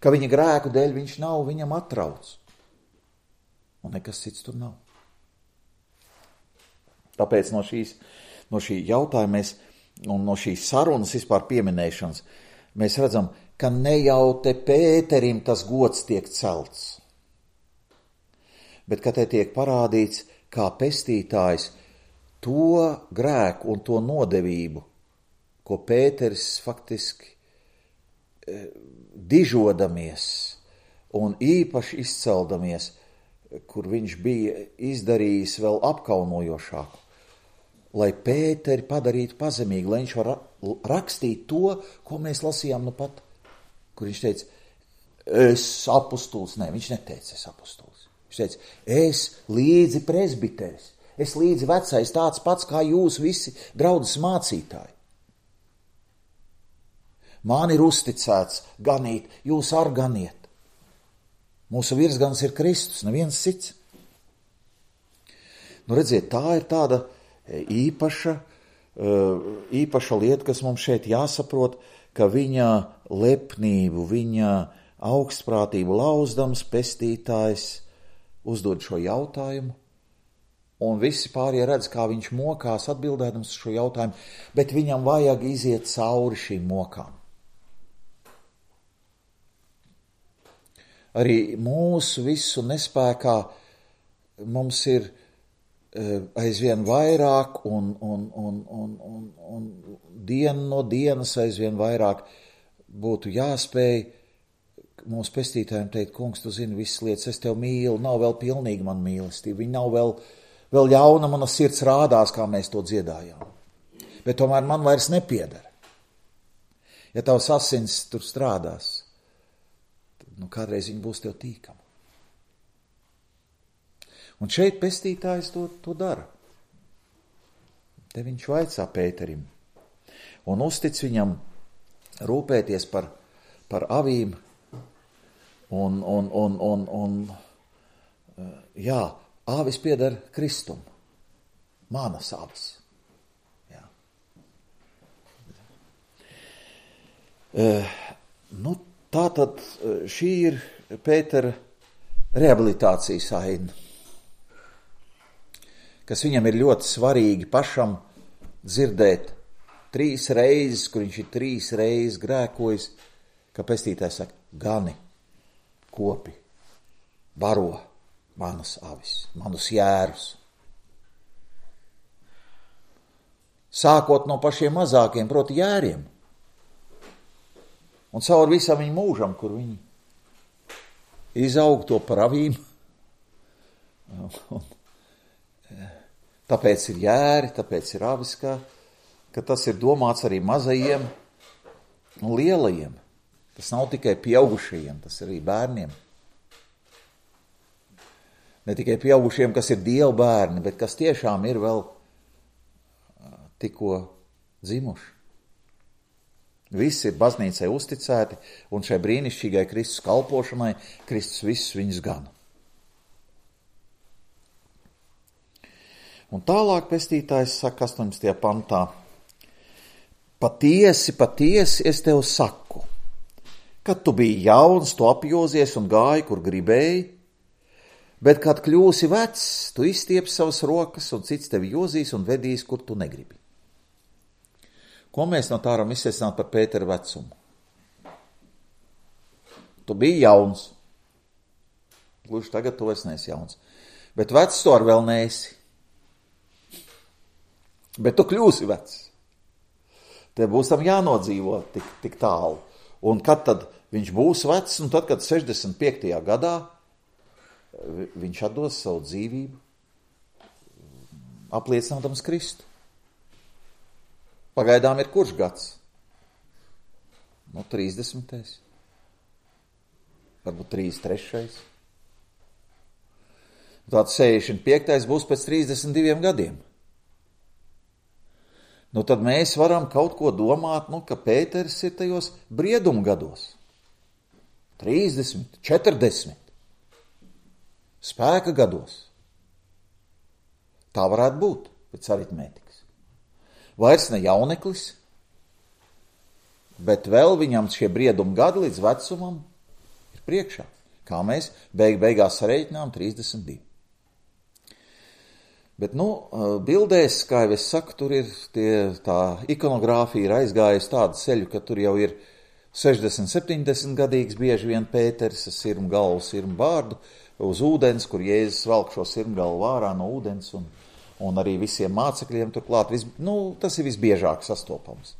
Ka viņa grēku dēļ viņš nav viņam atrauc. Un nekas cits tur nav. Tāpēc no, šīs, no šī jautājuma mēs, un no šīs sarunas vispār pieminēšanas mēs redzam, ka ne jau te Pēterim tas gods tiek celts, bet ka te tiek parādīts, kā pestītājs to grēku un to nodevību, ko Pēteris faktiski eh, dižodamies un īpaši izceldamies, kur viņš bija izdarījis vēl apkaunojošāku, lai Pēteri padarītu pazemīgi, lai viņš var rakstīt to, ko mēs lasījām nu pat, kur viņš teica, es apustulis, ne, viņš neteica, es apustulis. Viņš teica, es līdzi presbiteris, es līdzi vecais, tāds pats kā jūs visi draudzes mācītāji. Man ir uzticēts ganīt, jūs ar ganiet. Mūsu virsgans ir Kristus, neviens cits. Nu, redziet, tā ir tāda īpaša, īpaša lieta, kas mums šeit jāsaprot, ka viņa lepnību, viņa augstprātību lauzdams pestītājs uzdod šo jautājumu, un visi pārējie redz, kā viņš mokās atbildēdams šo jautājumu, bet viņam vajag iziet cauri šīm mokām. Arī mūsu visu nespēkā mums ir aizvien vairāk un, un, un, un, un, un dienu no dienas aizvien vairāk būtu jāspēj mūsu pestītājiem teikt, kungs, tu zini visas lietas, es tev mīlu, nav vēl pilnīgi man mīlestība, viņa nav vēl, vēl jauna, mana sirds rādās, kā mēs to dziedājām. Bet tomēr man vairs nepiedara. Ja tavs asins tur strādās, nu, kādreiz viņi būs tev tīkami. Un šeit pestītājs to, to dara. Te viņš vaicā Pēterim un uztic viņam rūpēties par, par avīm un, un, un, un, un jā, āvis pieder Kristum, manas āvis. Jā. Uh, nu, Tātad šī ir Pētera rehabilitācijas aina, kas viņam ir ļoti svarīgi pašam dzirdēt trīs reizes, kur viņš ir trīs reizes grēkojis, ka pestītājs saka, gani, kopi, baro manas avis, manus jērus. Sākot no pašiem mazākiem, proti jēriem. Un caur visam viņu mūžam, kur viņi izaug to par avīm. Un, tāpēc ir jēri, tāpēc ir avis, ka, ka tas ir domāts arī mazajiem un lielajiem. Tas nav tikai pieaugušajiem, tas ir arī bērniem. Ne tikai pieaugušiem, kas ir Dieva bērni, bet kas tiešām ir vēl tikko dzimuši. Visi ir baznīcai uzticēti, un šai brīnišķīgai Kristus kalpošanai Kristus visus viņus gana. Un tālāk pestītājs saka astoņdesmitajā pantā, patiesi, patiesi es tev saku, kad tu biji jauns, tu apjozies un gāji, kur gribēji, bet kad kļūsi vecs, tu izstieps savas rokas un cits tevi jozīs un vedīs, kur tu negribi. Ko mēs no tā varam izsēstināt par Pētera vecumu? Tu biji jauns. Gluži tagad tu esi neesi jauns. Bet vecs tu ar vēl neesi. Bet tu kļūsi vecs. Te būs tam jānodzīvo tik, tik tālu. Un kad tad viņš būs vecs, un tad, kad sešdesmit piektajā gadā viņš atdos savu dzīvību, apliecinādams Kristu. Pagaidām ir kurš gads? Nu, trīsdesmitais. Varbūt trīsdesmit trešais. Tāds sešdesmit piektais būs pēc trīsdesmit diviem gadiem. Nu, tad mēs varam kaut ko domāt, nu, ka Pēteris ir tajos brieduma gados. trīsdesmit, četrdesmit. Spēka gados. Tā varētu būt pēc aritmētikas. Vairs ne jauneklis, bet vēl viņam šie brieduma gadi līdz vecumam ir priekšā. Kā mēs beig beigās sareiķinām trīsdesmit divi. Bet, nu, bildēs, kā jau es saku, tur ir tie, tā ikonogrāfija ir aizgājusi tādu ceļu, ka tur jau ir sešdesmit, septiņdesmit gadīgs bieži vien Pēteris, sirmu galvu, sirmu bārdu, uz ūdens, kur Jēzus velk šo sirmu galvu vārā no ūdens, un, un arī visiem mācekļiem turklāt. Vis, nu, tas ir visbiežāk sastopams.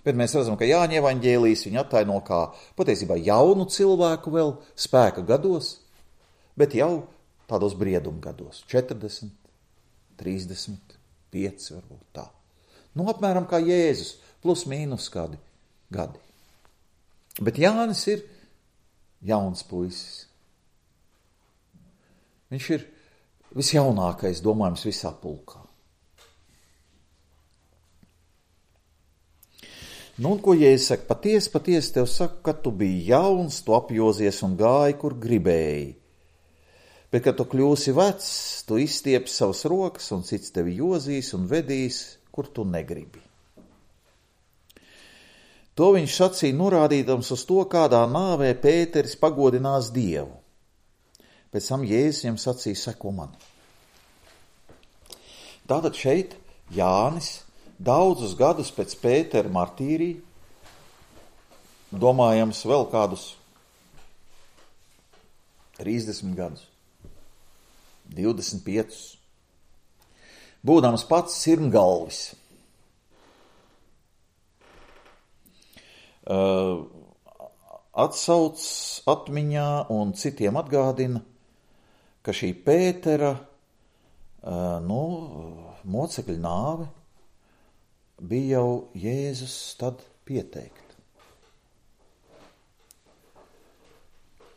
Bet mēs redzam, ka Jāņa evaņģēlijs viņu attaino kā patiesībā jaunu cilvēku vēl spēka gados, bet jau tādos brieduma gados, četrdesmit, trīsdesmit pieci varbūt tā. Nu, apmēram kā Jēzus, plus mīnus kādi gadi. Bet Jānis ir jauns puisis. Viņš ir visjaunākais, domājams, visā pulkā. Nu, un ko Jēzus saka? Patiesi, patiesi tev saka, ka tu biji jauns, tu apjozies un gāji, kur gribēji. Bet, kad tu kļūsi vecs, tu izstiepi savas rokas un cits tevi jozīs un vedīs, kur tu negribi. To viņš sacīja norādīdams uz to, kādā nāvē Pēteris pagodinās Dievu. Pēc tam Jēzus viņam sacīja, seko man. Tātad šeit Jānis daudzus gadus pēc Pētera martīrija, domājams vēl kādus trīsdesmit gadus, divdesmit piecus, būdams pats sirmgalvis, uh, atsauc atmiņā un citiem atgādina, ka šī Pētera uh, nu, mocekļa nāve bija jau Jēzus tad pieteikta.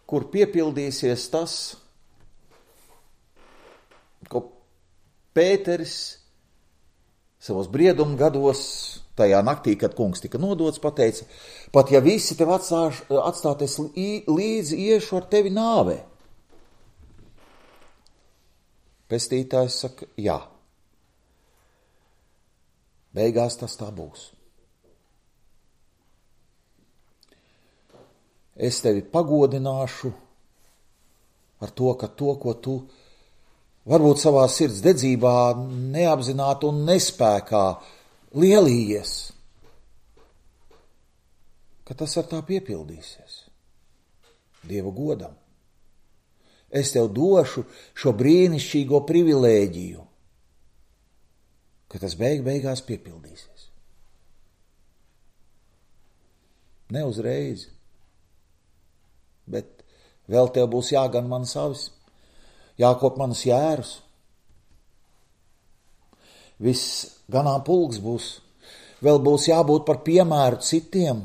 Kur piepildīsies tas, ko Pēteris savos brieduma gados, tajā naktī, kad kungs tika nodots, pateica, pat ja visi tev atstāš, atstāties līdzi, iešu ar tevi nāvē. Pestītājs saka, jā. Beigās tas tā būs. Es tevi pagodināšu ar to, ka to, ko tu varbūt savā sirds dedzībā neapzināti un nespēkā lielījies, ka tas ar tā piepildīsies. Dieva godam. Es tev došu šo brīnišķīgo privilēģiju, ka tas beig beigās piepildīsies. Ne uzreiz, bet vēl tev būs jāgan manas avis, jākop manas jērus. Viss ganām pulks būs, vēl būs jābūt par piemēru citiem,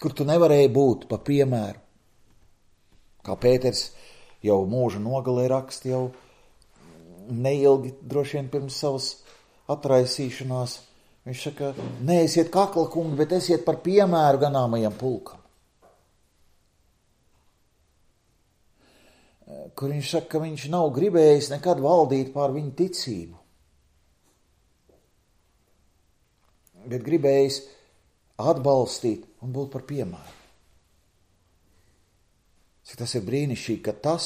kur tu nevarēji būt par piemēru. Kā Pēters jau mūža nogalē raksta, jau neilgi droši vien pirms savas atraisīšanās, viņš saka, neesiet kakla kungi, bet esiet par piemēru ganāmajam pulkam. Kur viņš saka, ka viņš nav gribējis nekad valdīt pār viņu ticību, bet gribējis atbalstīt un būt par piemēru. Cik tas ir brīnišķīgi, ka tas,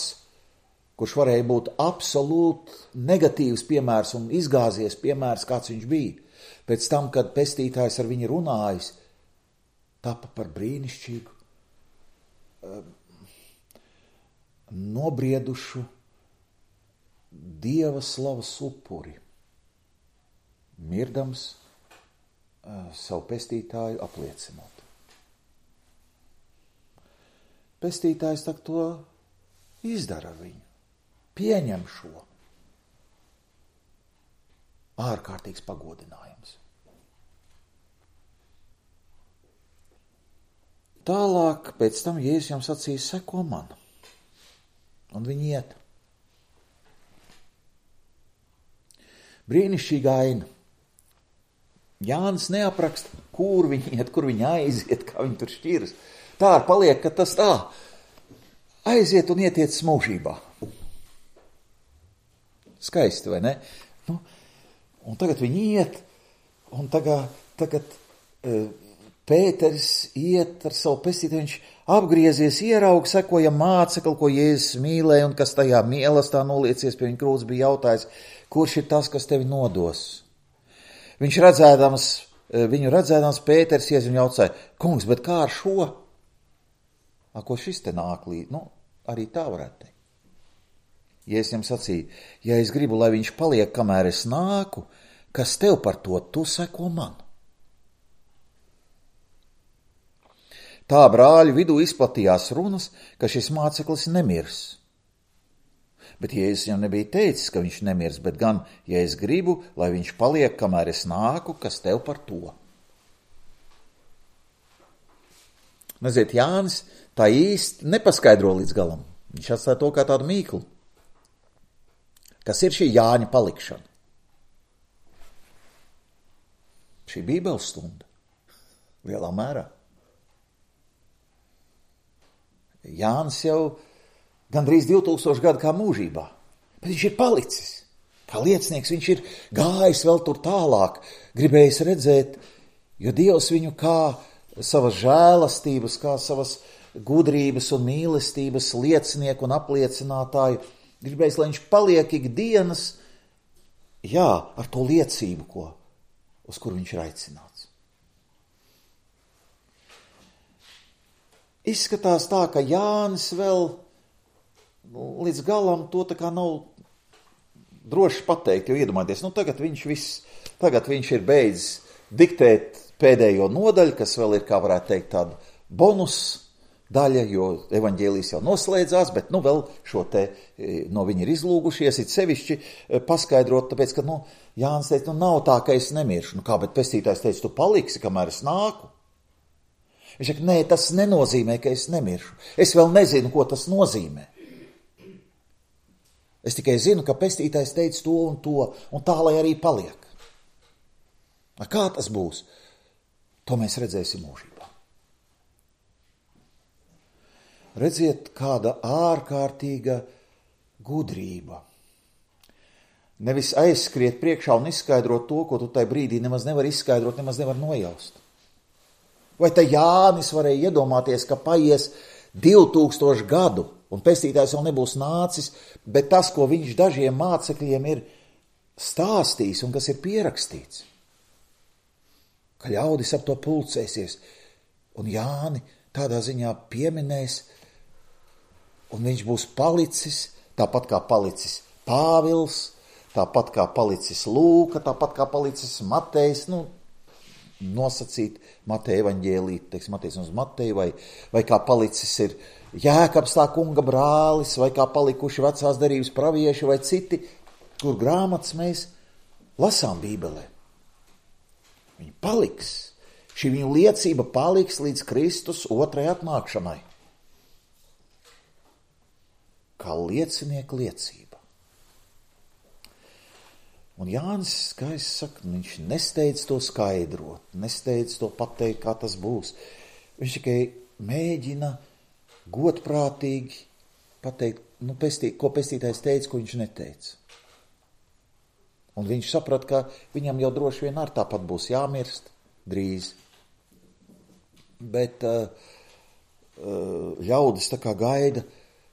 kurš varēja būt absolūti negatīvs piemērs un izgāzies piemērs, kāds viņš bija, pēc tam, kad pestītājs ar viņu runājis, tapa par brīnišķīgu nobriedušu Dieva slavas upuri, mirdams savu pestītāju apliecinot. Pestītājs tak to izdara ar viņu, pieņem šo. Ārkārtīgs pagodinājums. Tālāk, pēc tam Jēzus jām sacīja, seko man. Un viņi iet. Brīnišķīga aina. Jānis neapraksta, kur viņi iet, kur viņi aiziet, kā viņi tur šķiras. Tā ar paliek, ka tas tā aiziet un ietiec mūžībā. Skaisti, vai ne? Nu, un tagad viņi iet, un tagad, tagad e, Pēteris iet ar savu pestītāju, viņš apgriezies, ieraug, sekoja mācekli, ko Jēzus mīlēja, un kas tajā mīlestā noliecies pie viņa krūts, bija jautājis, kurš ir tas, kas tevi nodos? Viņš redzēdams, viņu redzēdams, Pēteris ies un jautāja, kungs, bet kā ar šo? A, ko šis te nāk līdz? Nu, arī tā varētu teikt. Jēzus viņam sacīja, ja es gribu, lai viņš paliek, kamēr es nāku, kas tev par to, tu seko man. Tā brāļu vidū izplatījās runas, ka šis māceklis nemirs. Bet Jēzus viņam nebija teicis, ka viņš nemirs, bet gan, ja es gribu, lai viņš paliek, kamēr es nāku, kas tev par to. Neziet, Jānis tā īsti nepaskaidro līdz galam. Viņš atstāja to kā tādu mīklu. Kas ir šī Jāņa palikšana? Šī bībeles stunda. Lielā mērā. Jānis jau gandrīz divtūkstoši gadu kā mūžībā, bet viņš ir palicis. Kā liecinieks viņš ir gājis vēl tur tālāk, gribējis redzēt, jo Dievs viņu kā savas žēlastības, kā savas gudrības un mīlestības liecinieku un apliecinātāju, gribējis, lai viņš paliek ikdienas, jā, ar to liecību, ko, uz kur viņš ir aicināts. Izskatās tā, ka Jānis vēl līdz galam to tā kā nav droši pateikt, jo iedomājieties, nu tagad viņš viss, tagad viņš ir beidzis diktēt pēdējo nodaļu, kas vēl ir, kā varētu teikt, tāda bonus daļa, jo evaņģēlijs jau noslēdzās, bet nu vēl šo te no viņa ir izlūgušies, it sevišķi paskaidrot, tāpēc, ka, nu, Jānis teica, nu nav tā, ka es nemiršu. Nu kā, bet pestītājs teica, tu paliksi, kamēr es nāku. Viņš saka, nē, tas nenozīmē, ka es nemiršu. Es vēl nezinu, ko tas nozīmē. Es tikai zinu, ka pestītājs teica to un to, un tā, lai arī paliek. Kā tas būs? To mēs redzēsim mūžībā. Redziet, kāda ārkārtīga gudrība. Nevis aizskriet priekšā un izskaidrot to, ko tu tai brīdī nemaz nevar izskaidrot, nemaz nevar nojaust. Vai te Jānis varēja iedomāties, ka paies divtūkstoši gadu, un pestītājs vēl nebūs nācis, bet tas, ko viņš dažiem mācekļiem ir stāstījis un kas ir pierakstīts, ka ļaudis ap to pulcēsies, un Jāni tādā ziņā pieminēs, un viņš būs palicis, tāpat kā palicis Pāvils, tāpat kā palicis Lūka, tāpat kā palicis Matejs, nu, nosacīt Mateja evaņģēlī, teiks Matejs uz Mateju, vai, vai kā palicis ir Jēkabs tā kunga brālis, vai kā palikuši vecās derības pravieši, vai citi, kur grāmatas mēs lasām Bībelē. Viņi paliks. Šī viņu liecība paliks līdz Kristus otrai atnākšanai. Kā liecinieka liecība. Un Jānis, kā es saku, viņš nesteidz to skaidrot, nesteidz to pateikt, kā tas būs. Viņš tikai mēģina godprātīgi pateikt, nu, pestī, ko pestītājs teica, ko viņš neteica. Un viņš saprat, ka viņam jau droši vien ar tāpat būs jāmirst drīz. Bet uh, uh, ļaudis tā kā gaida,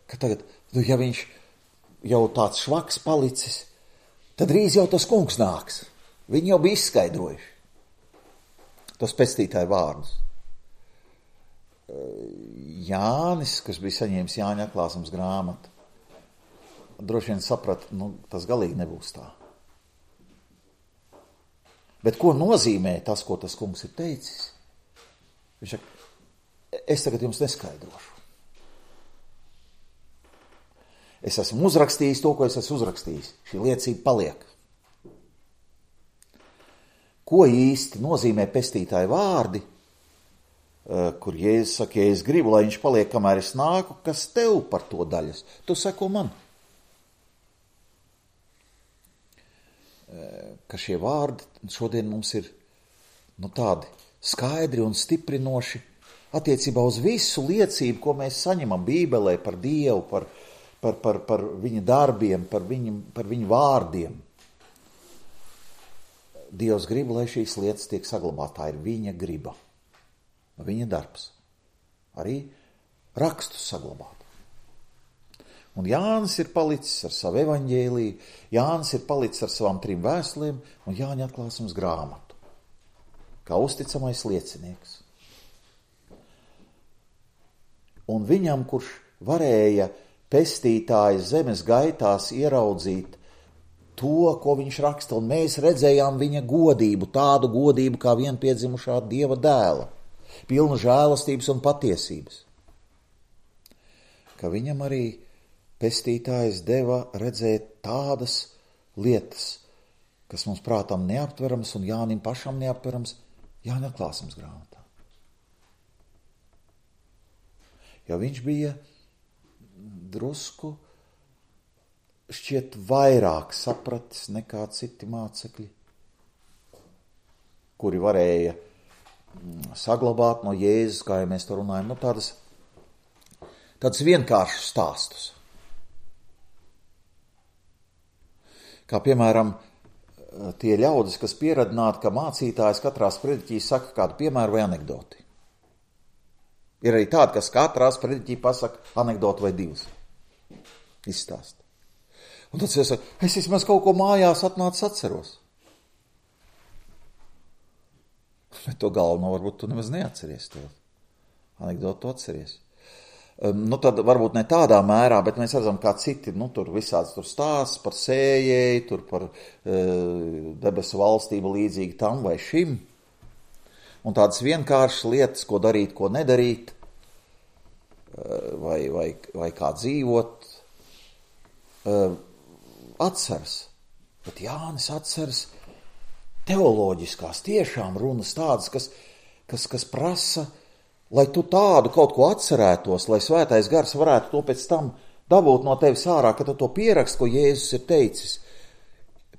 ka tagad, nu, ja viņš jau tāds švaks palicis, tad drīz jau tas kungs nāks. Viņi jau bija izskaidrojuši tos pestītāju vārdus. Jānis, kas bija saņēmis Jāņa atklāsmes grāmatu, droši vien saprata, nu, tas galīgi nebūs tā. Bet ko nozīmē tas, ko tas kungs ir teicis? Viņš saka, es tagad jums neskaidrošu. Es esmu uzrakstījis to, ko es esmu uzrakstījis. Šī liecība paliek. Ko īsti nozīmē pestītāju vārdi, kur Jēzus saka, ja es gribu, lai viņš paliek, kamēr es nāku, kas tev par to daļas? Tu seko man. Ka šie vārdi šodien mums ir nu, tādi skaidri un stiprinoši attiecībā uz visu liecību, ko mēs saņemam Bībelē par Dievu, par, par, par, par viņa darbiem, par viņu, par viņu vārdiem. Dievs grib, lai šīs lietas tiek saglabātas. Tā ir viņa griba, viņa darbs. Arī rakstus saglabāt. Un Jānis ir palicis ar savu evaņģēliju, Jānis ir palicis ar savām trim vēstulēm un Jāņa atklāsmes grāmatu, kā uzticamais liecinieks. Un viņam, kurš varēja pestītājas zemes gaitās ieraudzīt to, ko viņš raksta, un mēs redzējām viņa godību, tādu godību kā vienpiedzimušā Dieva dēla, pilnu žēlastības un patiesības, ka viņam arī pestītājs deva redzēt tādas lietas, kas mums prātam neaptverams un Jānim pašam neaptverams Jāņa atklāsmes grāmatā. Jo viņš bija drusku šķiet vairāk sapratis nekā citi mācekļi, kuri varēja saglabāt no Jēzus, kā jau mēs to runājam, no tādas, tādas vienkāršas stāstus. Kā piemēram, tie ļaudis, kas pieradināti, ka mācītājs katrā sprediķī saka kādu piemēru vai anekdoti. Ir arī tādi, kas katrā sprediķī pasaka anekdoti vai divas. Izstāst. Un tad es saku, es vismaz kaut ko mājās atnācis atceros. Bet to galveno varbūt tu nemaz neatceries. To anekdotu tu atceries. Nu, tad varbūt ne tādā mērā, bet mēs redzam, kā citi, nu, tur visāds tur stāsts par sējēju, tur par e, debesu valstību līdzīgi tam vai šim. Un tādas vienkāršas lietas, ko darīt, ko nedarīt, vai, vai, vai kā dzīvot, e, atceras. Bet Jānis atceras teoloģiskās, tiešām runas tādas, kas, kas, kas prasa, lai tu tādu kaut ko atcerētos, lai svētais gars varētu to pēc tam dabūt no tevis ārā, kad tu to pierakst, ko Jēzus ir teicis,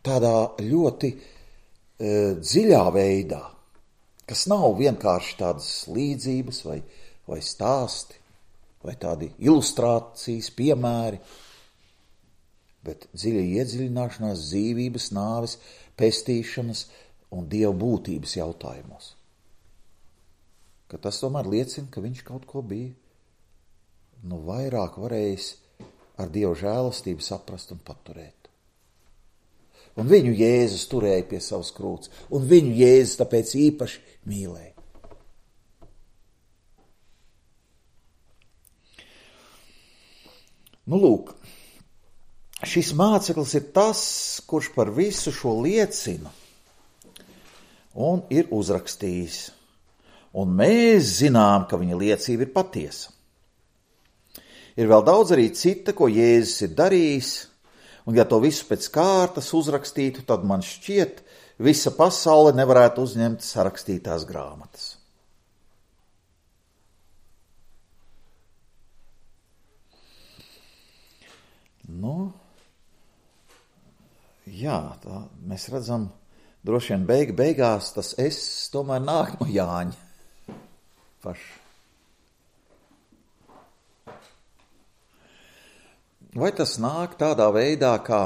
tādā ļoti e, dziļā veidā, kas nav vienkārši tādas līdzības vai, vai stāsti, vai tādi ilustrācijas, piemēri, bet dziļa iedziļināšanās dzīvības, nāves, pestīšanas un Dieva būtības jautājumos. Ka tas tomēr liecina, ka viņš kaut ko bija nu vairāk varējis ar Dieva žēlastību saprast un paturēt. Un viņu Jēzus turēja pie savas krūts, un viņu Jēzus tāpēc īpaši mīlēja. Nu lūk, šis māceklis ir tas, kurš par visu šo liecina un ir uzrakstījis. Un mēs zinām, ka viņa liecība ir patiesa. Ir vēl daudz arī cita, ko Jēzus ir darījis, un ja to visu pēc kārtas uzrakstītu, tad man šķiet, visa pasaule nevarētu uzņemt sarakstītās grāmatas. Nu, jā, tā mēs redzam, droši vien beig, beigās tas es tomēr nāk no Jāņa. Paši. Vai tas nāk tādā veidā, kā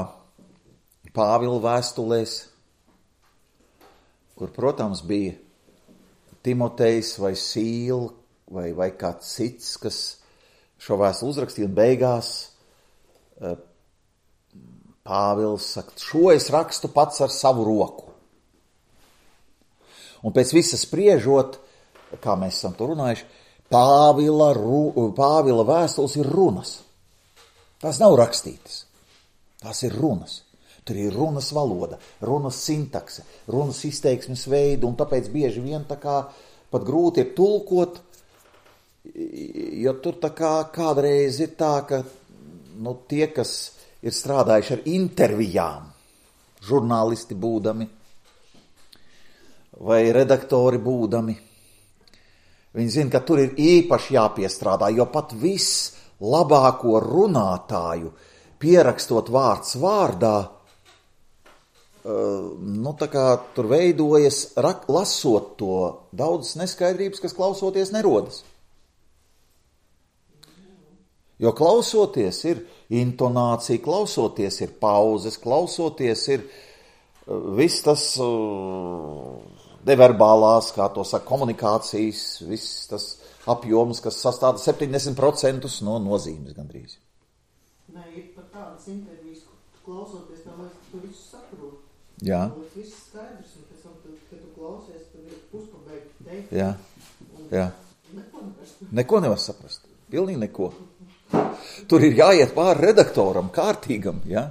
Pāvila vēstulēs, kur, protams, bija Timotejs vai Sīla vai, vai kāds cits, kas šo vēstuli uzrakstīja, un beigās Pāvils saka, šo es rakstu pats ar savu roku. Un pēc visa spriežot, kā mēs esam to runājuši, Pāvila, ru, Pāvila vēstules ir runas. Tās nav rakstītas. Tās ir runas. Tur ir runas valoda, runas sintakse, runas izteiksmes veidi, un tāpēc bieži vien tā kā pat grūti ir tulkot, jo tur tā kā kādreiz ir tā, ka nu, tie, kas ir strādājuši ar intervijām, žurnālisti būdami vai redaktori būdami, viņi zina, ka tur ir īpaši jāpiestrādā, jo pat viss labāko runātāju pierakstot vārds vārdā, nu tā kā tur veidojas, rak, lasot to, daudzas neskaidrības, kas klausoties nerodas. Jo klausoties ir intonācija, klausoties ir pauzes, klausoties ir viss tas neverbālās, kā to saka, komunikācijas, viss tas apjoms, kas sastāda septiņdesmit procenti no nozīmes gandrīz. Nē, ir pat tādas intervijas, klausoties, tam liekas, tu visu saproti. Jā. Tas viss skaidrs, un pēc tam, tu, kad tu klausies, tad ir puspabeigti teikt. Jā, jā. Neko nevar saprast. Neko nevar saprast. Pilnīgi neko. Tur ir jāiet pāri redaktoram, kārtīgam, ja?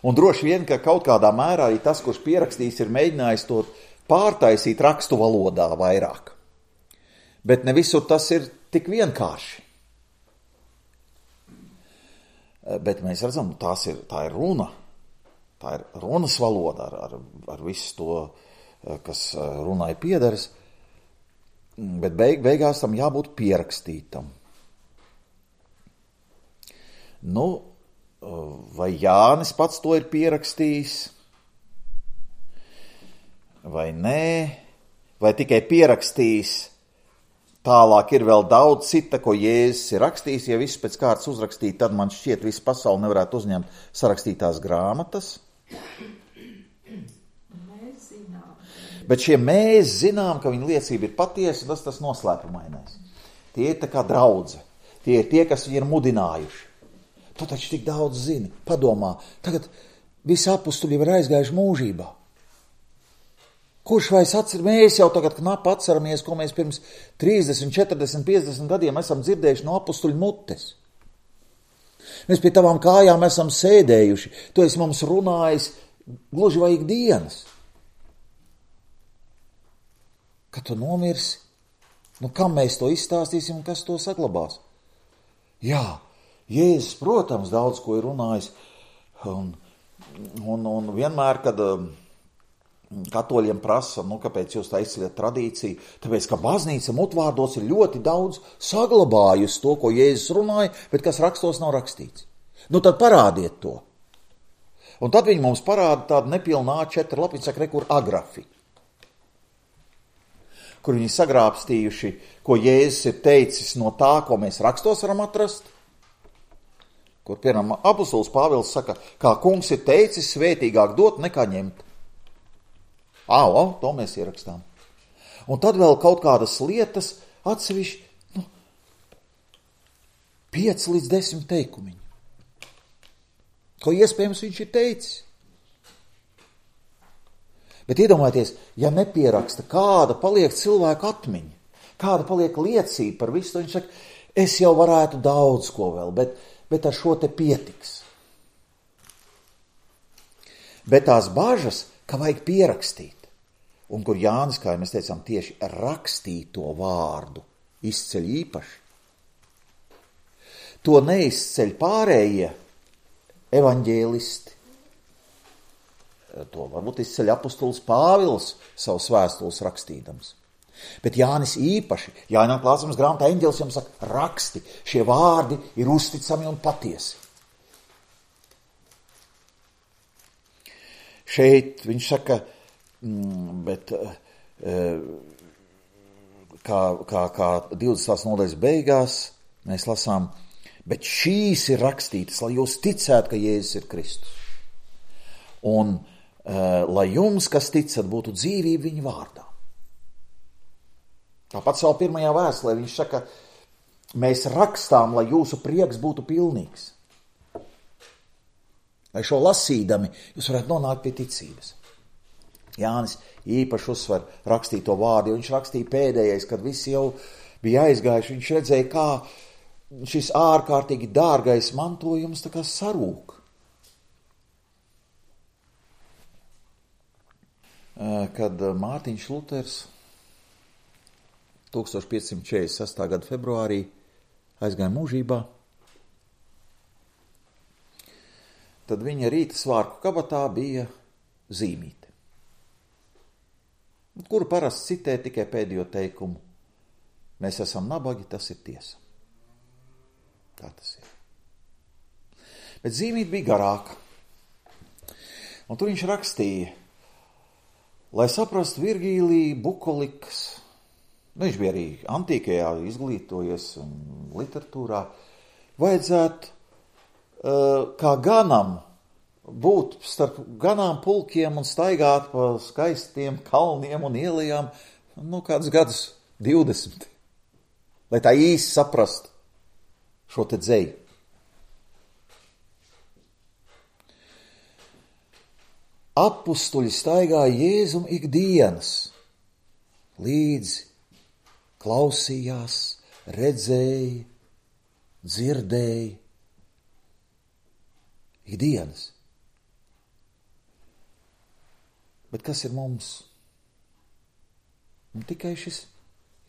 Un droši vien, ka kaut kādā mērā arī tas, kurš pierakstījis, ir mēģinājis to pārtaisīt rakstu valodā vairāk. Bet ne visur tas ir tik vienkārši. Bet mēs redzam, tās ir, tā ir runa. Tā ir runas valoda ar, ar, ar visu to, kas runai piederas. Bet beig, beigās tam jābūt pierakstītam. Nu, vai Jānis pats to ir pierakstījis? Vai nē? Vai tikai pierakstījis? Tālāk ir vēl daudz cita, ko Jēzus ir rakstījis. Ja viss pēc kārtas uzrakstīt, tad man šķiet, visu pasauli nevarētu uzņemt sarakstītās grāmatas. Mēs zinām. Bet šie mēs zinām, ka viņa liecība ir patiesa, tas tas noslēpumainais. Tie ir tā kā draudze. Tie ir tie, kas viņu ir mudinājuši. Tu taču tik daudz zini, padomā, tagad visi apustuļi ir aizgājuši mūžībā. Kurš vairs atcer, mēs jau tagad knapi atceramies, ko mēs pirms trīsdesmit, četrdesmit, piecdesmit gadiem esam dzirdējuši no apustuļu mutes. Mēs pie tavām kājām esam sēdējuši, tu esi mums runājis gluži vai ikdienas. Kad tu nomirsi, nu kam mēs to izstāstīsim un kas to saglabās? Jā, Jēzus, protams, daudz ko ir runājis, un, un, un vienmēr, kad katoļiem prasa, nu, kāpēc jūs tā izceļat tradīciju, tāpēc, ka baznīca mutvārdos ir ļoti daudz saglabājusi to, ko Jēzus runāja, bet kas rakstos nav rakstīts. Nu, tad parādiet to. Un tad viņi mums parāda tādu nepilnā A četri lapiņu, saka, rekur agrafi, kur viņi sagrābstījuši, ko Jēzus ir teicis no tā, ko mēs rakstos varam atrast, kur, piemēram, apustulis Pāvils saka, kā kungs ir teicis, svētīgāk dot nekā ņemt. Ā, o, to mēs ierakstām. Un tad vēl kaut kādas lietas atsevišķi, nu, pieci līdz desmit teikumiņi. Ko iespējams viņš ir teicis. Bet iedomājieties, ja nepieraksta, kāda paliek cilvēku atmiņa, kāda paliek liecība par visu, viņš saka, es jau varētu daudz ko vēl, bet, bet ar šo te pietiks. Bet tās bažas, ka vajag pierakstīt, un kur Jānis, kā mēs teicām, tieši rakstīto vārdu izceļ īpaši. To neizceļ pārējie evaņģēlisti. To varbūt izceļ apustulis Pāvils savus vēstules rakstīdams. Bet Jānis īpaši, Jāņa klāsums grāmatā eņģelis jums saka, raksti, šie vārdi ir uzticami un patiesi. Šeit viņš saka, bet kā, kā, kā divdesmitās nodaļas beigās mēs lasām, bet šīs ir rakstītas, lai jūs ticētu, ka Jēzus ir Kristus. Un lai jums, kas ticat, būtu dzīvība viņa vārdā. Tāpat savā pirmajā vēstulē viņš saka, mēs rakstām, lai jūsu prieks būtu pilnīgs. Lai šo lasīdami jūs varētu nonākt pie ticības. Jānis īpaši uzsver rakstīto vārdu, jo viņš rakstīja pēdējais, kad visi jau bija aizgājuši, viņš redzēja, kā šis ārkārtīgi dārgais mantojums tā kā sarūk. Kad Mārtiņš Luters tūkstoš piecsimt četrdesmit sestā gada februārī aizgāja mūžībā, tad viņa rīta svārku kabatā bija zīmīte, kuru parasti citē tikai pēdējo teikumu. Mēs esam nabagi, tas ir tiesa. Tā tas ir. Bet zīmīte bija garāka. Un tur viņš rakstīja, lai saprastu Virgīliju, bukolikas, nu viņš bija arī antīkajā izglītojies un literatūrā, vajadzētu uh, kā ganam būt starp ganām pulkiem un staigāt pa skaistiem kalniem un ielajām, nu kādus gadus divdesmit, lai tā īsti saprastu šo te dzeju. Apustuļi staigāja Jēzum ikdienas, līdzi klausījās, redzēja, dzirdēja, ikdienas. Bet kas ir mums? Un tikai šis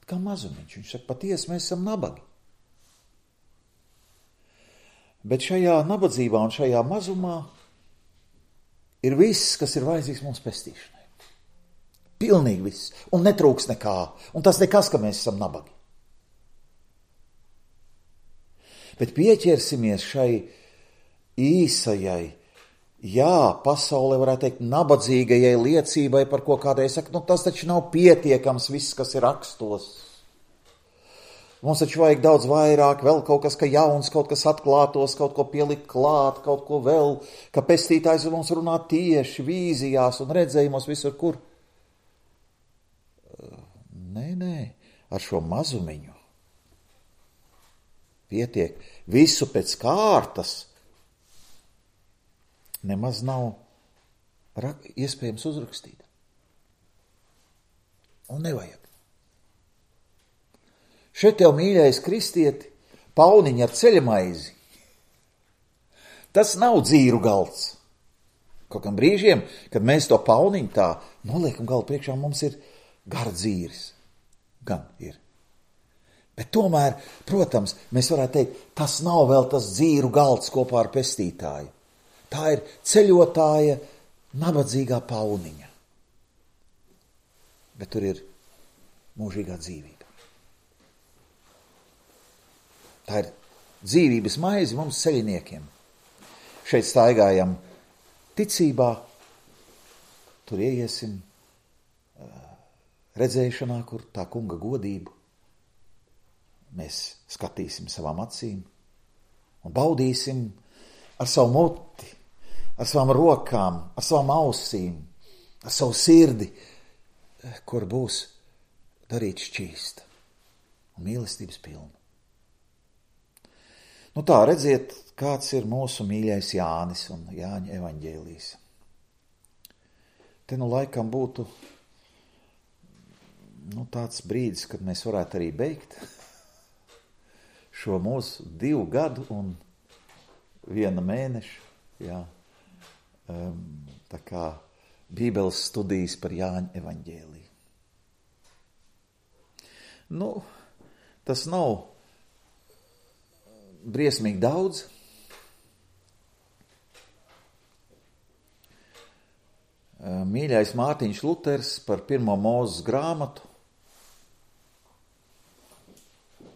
kā mazumiņš. Viņš saka, patiesi mēs esam nabagi. Bet šajā nabadzībā un šajā mazumā ir viss, kas ir vajadzīgs mums pestīšanai. Pilnīgi viss. Un netrūks nekā. Un tas nekas, ka mēs esam nabagi. Bet pieķersimies šai īsajai, jā, pasaulē varētu teikt nabadzīgajai liecībai par ko kādai saka, nu tas taču nav pietiekams viss, kas ir rakstos. Mums taču vajag daudz vairāk, vēl kaut kas, ka jauns, kaut kas atklātos, kaut ko pielikt klāt, kaut ko vēl, ka pestītājs mums runā tieši vīzijās un redzējumos visur, kur. Nē, nē, ar šo mazumiņu pietiek. Visu pēc kārtas nemaz nav rak- iespējams uzrakstīt. Un nevajag. Šeit tev, mīļais kristieti, pauniņi ar ceļamaizi. Tas nav dzīru galds. Kaut kam brīžiem, kad mēs to pauniņu tā noliekam galdu priekšā, mums ir gara dzīris. Gan ir. Bet tomēr, protams, mēs varētu teikt, tas nav vēl tas dzīru galds kopā ar pestītāju. Tā ir ceļotāja, nabadzīgā pauniņa. Bet tur ir mūžīgā dzīvība. Tā ir dzīvības maize mums ceļiniekiem. Šeit staigājam ticībā, tur ieiesim redzēšanā, kur tā kunga godību mēs skatīsim savām acīm un baudīsim ar savu muti, ar savām rokām, ar savām ausīm, ar savu sirdi, kur būs darīt šķīsta un mīlestības pilna. Nu tā, redziet, kāds ir mūsu mīļais Jānis un Jāņa evaņģēlijs. Te nu laikam būtu nu, tāds brīdis, kad mēs varētu arī beigt šo mūsu divu gadu un viena mēneša, jā, um, tā kā Bībeles studijas par Jāņa evaņģēliju. Nu, tas nav briesmīgi daudz. Mīļais Mārtiņš Luters par pirmo Mūzes grāmatu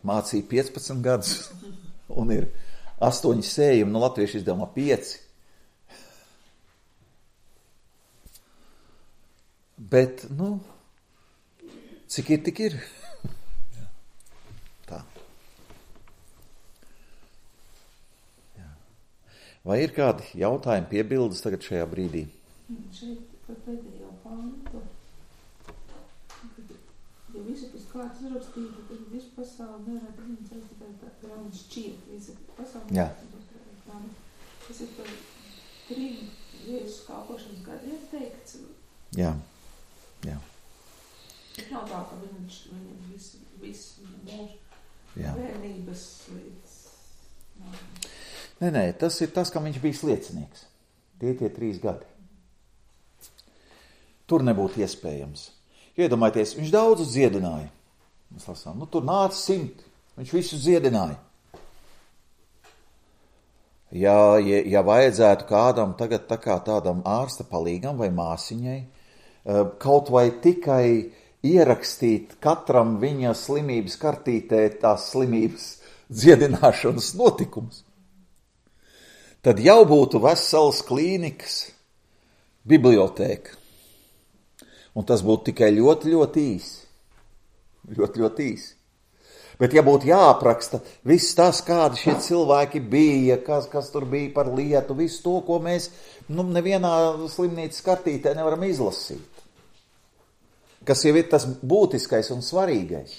mācīja piecpadsmit gadus un ir astoņi sējumi, no latviešu izdevumā pieci. Bet, nu, cik ir, tik ir. Tā. Vai ir kādi jautājumi, piebildes tagad šajā brīdī? Šeit par pēdējo pantu, ja visu pēc kārtas uzrakstītu, tad visu pasauli nevarētu zināt, tikai tā grāmata šķiet, visa pasauli. Jā. Tas ir par trim Jēzus kalpošanas gadiem teikts. Jā, jā. Bet nav tā, ka viņš, viņam visu, visu mūžu Jā. bērnības līdz... Nē, nē, tas ir tas, kam viņš bija liecinieks. Tie tie trīs gadi. Tur nebūtu iespējams. Iedomājieties, viņš daudzus dziedināja. Mēs lasām, nu tur nāca simti. Viņš visus dziedināja. Ja, ja, ja vajadzētu kādam tagad tā kā tādam ārsta palīgam vai māsiņai, kaut vai tikai ierakstīt katram viņa slimības kartītē tās slimības dziedināšanas notikumus, tad jau būtu vesels klīnikas bibliotēka. Un tas būtu tikai ļoti, ļoti īsi. Ļoti, ļoti īsi. Bet ja būtu jāapraksta viss tas, kādi šie cilvēki bija, kas, kas tur bija par lietu, visu to, ko mēs nu, nevienā slimnīcas kartītē nevaram izlasīt. Kas jau ir tas būtiskais un svarīgais.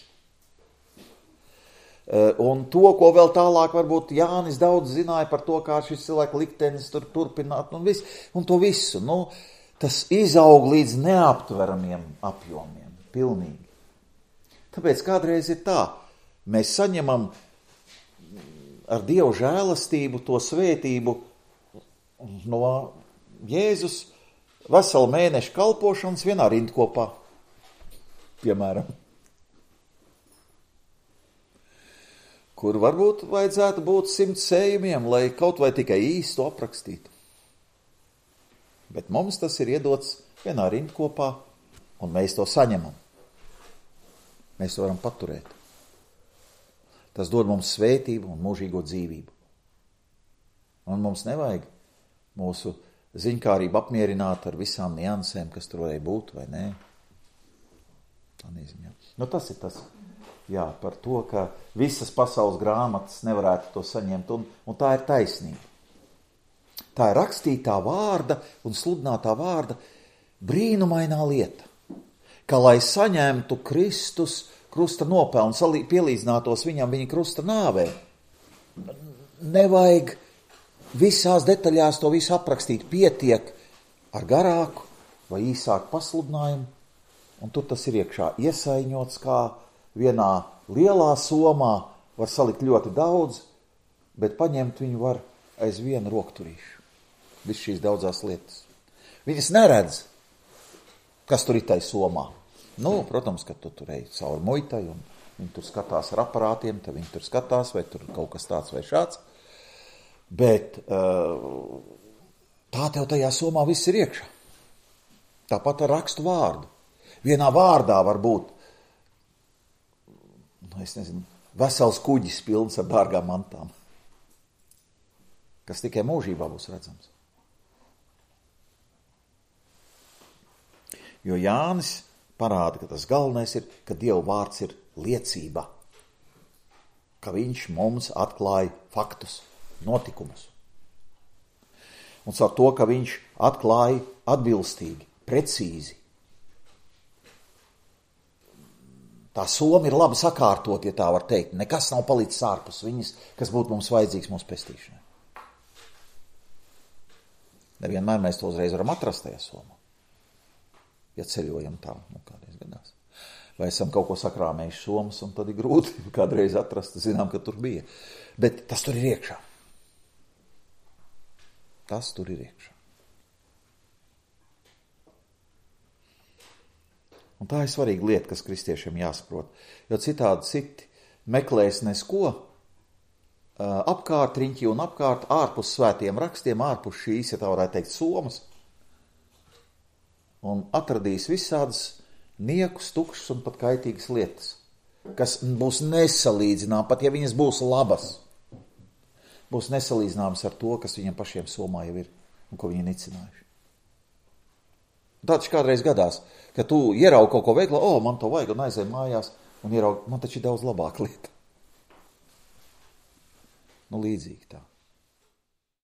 Un to, ko vēl tālāk varbūt Jānis daudz zināja par to, kā šis cilvēku liktenis tur turpināt, un, vis, un to visu. Nu, tas izaug līdz neaptveramiem apjomiem, pilnīgi. Tāpēc kādreiz ir tā, mēs saņemam ar Dievu žēlastību to svētību no Jēzus veselu mēnešu kalpošanas vienā rindkopā, piemēram. Kur varbūt vajadzētu būt simts sējumiem, lai kaut vai tikai īstu aprakstītu. Bet mums tas ir iedots vienā rindkopā, un mēs to saņemam. Mēs to varam paturēt. Tas dod mums svētību un mūžīgo dzīvību. Un mums nevajag mūsu ziņkārību apmierināt ar visām niansēm, kas tur varēja būt, vai nē. Tā neziņā. Nu, tas ir tas. Jā, par to, ka visas pasaules grāmatas nevarētu to saņemt, un, un tā ir taisnība. Tā ir rakstītā vārda un sludinātā vārda brīnumainā lieta, ka, lai saņemtu Kristus krusta nopelnu, pielīdzinātos viņam viņa krusta nāvē, nevajag visās detaļās to visu aprakstīt, pietiek ar garāku vai īsāku pasludinājumu, un tur tas ir iekšā iesaiņots kā vienā lielā somā, var salikt ļoti daudz, bet paņemt viņu var aiz vienu rokturīšu. Viss šīs daudzās lietas. Viņas neredz, kas tur ir tai somā. Nu, protams, ka tu tur ej cauri muitai, un viņi tur skatās ar aparātiem, tad viņi tur skatās, vai tur kaut kas tāds vai šāds. Bet uh, tā tev tajā somā viss ir iekšā. Tāpat ar rakstu vārdu. Vienā vārdā var būt, nu, es nezinu, vesels kuģis pilns ar dārgām mantām, kas tikai mūžībā būs redzams. Jo Jānis parāda, ka tas galvenais ir, ka Dieva vārds ir liecība, ka viņš mums atklāja faktus, notikumus. Un caur to, ka viņš atklāja atbilstīgi, precīzi. Tā soma ir labi sakārtot, ja tā var teikt. Nekas nav palicis ārpus viņas, kas būtu mums vajadzīgs mūsu pestīšanai. Nevienmēr mēs to uzreiz varam atrast tajā somā. Ja ceļojam tā, nu kādreiz gadās. Vai esam kaut ko sakrāmējuši somas, un tad ir grūti kādreiz atrast, zinām, ka tur bija. Bet tas tur ir iekšā. Tas tur ir iekšā. Un tā ir svarīga lieta, kas kristiešiem jāsaprot. Jo citādi citi meklēs nesko apkārt riņķi un apkārt ārpus svētiem rakstiem, ārpus šīs, ja tā varētu teikt, somas. Un atradīs visādas niekus, tukšas un pat kaitīgas lietas, kas būs nesalīdzinām, pat ja viņas būs labas, būs nesalīdzināmas ar to, kas viņam pašiem somā jau ir un ko viņi nicinājuši. Tāds kādreiz gadās, ka tu ieraugi kaut ko veiklu, o, man to vajag, un aizēj mājās, un ieraugi, man taču ir daudz labāka lieta. Nu, līdzīgi tā.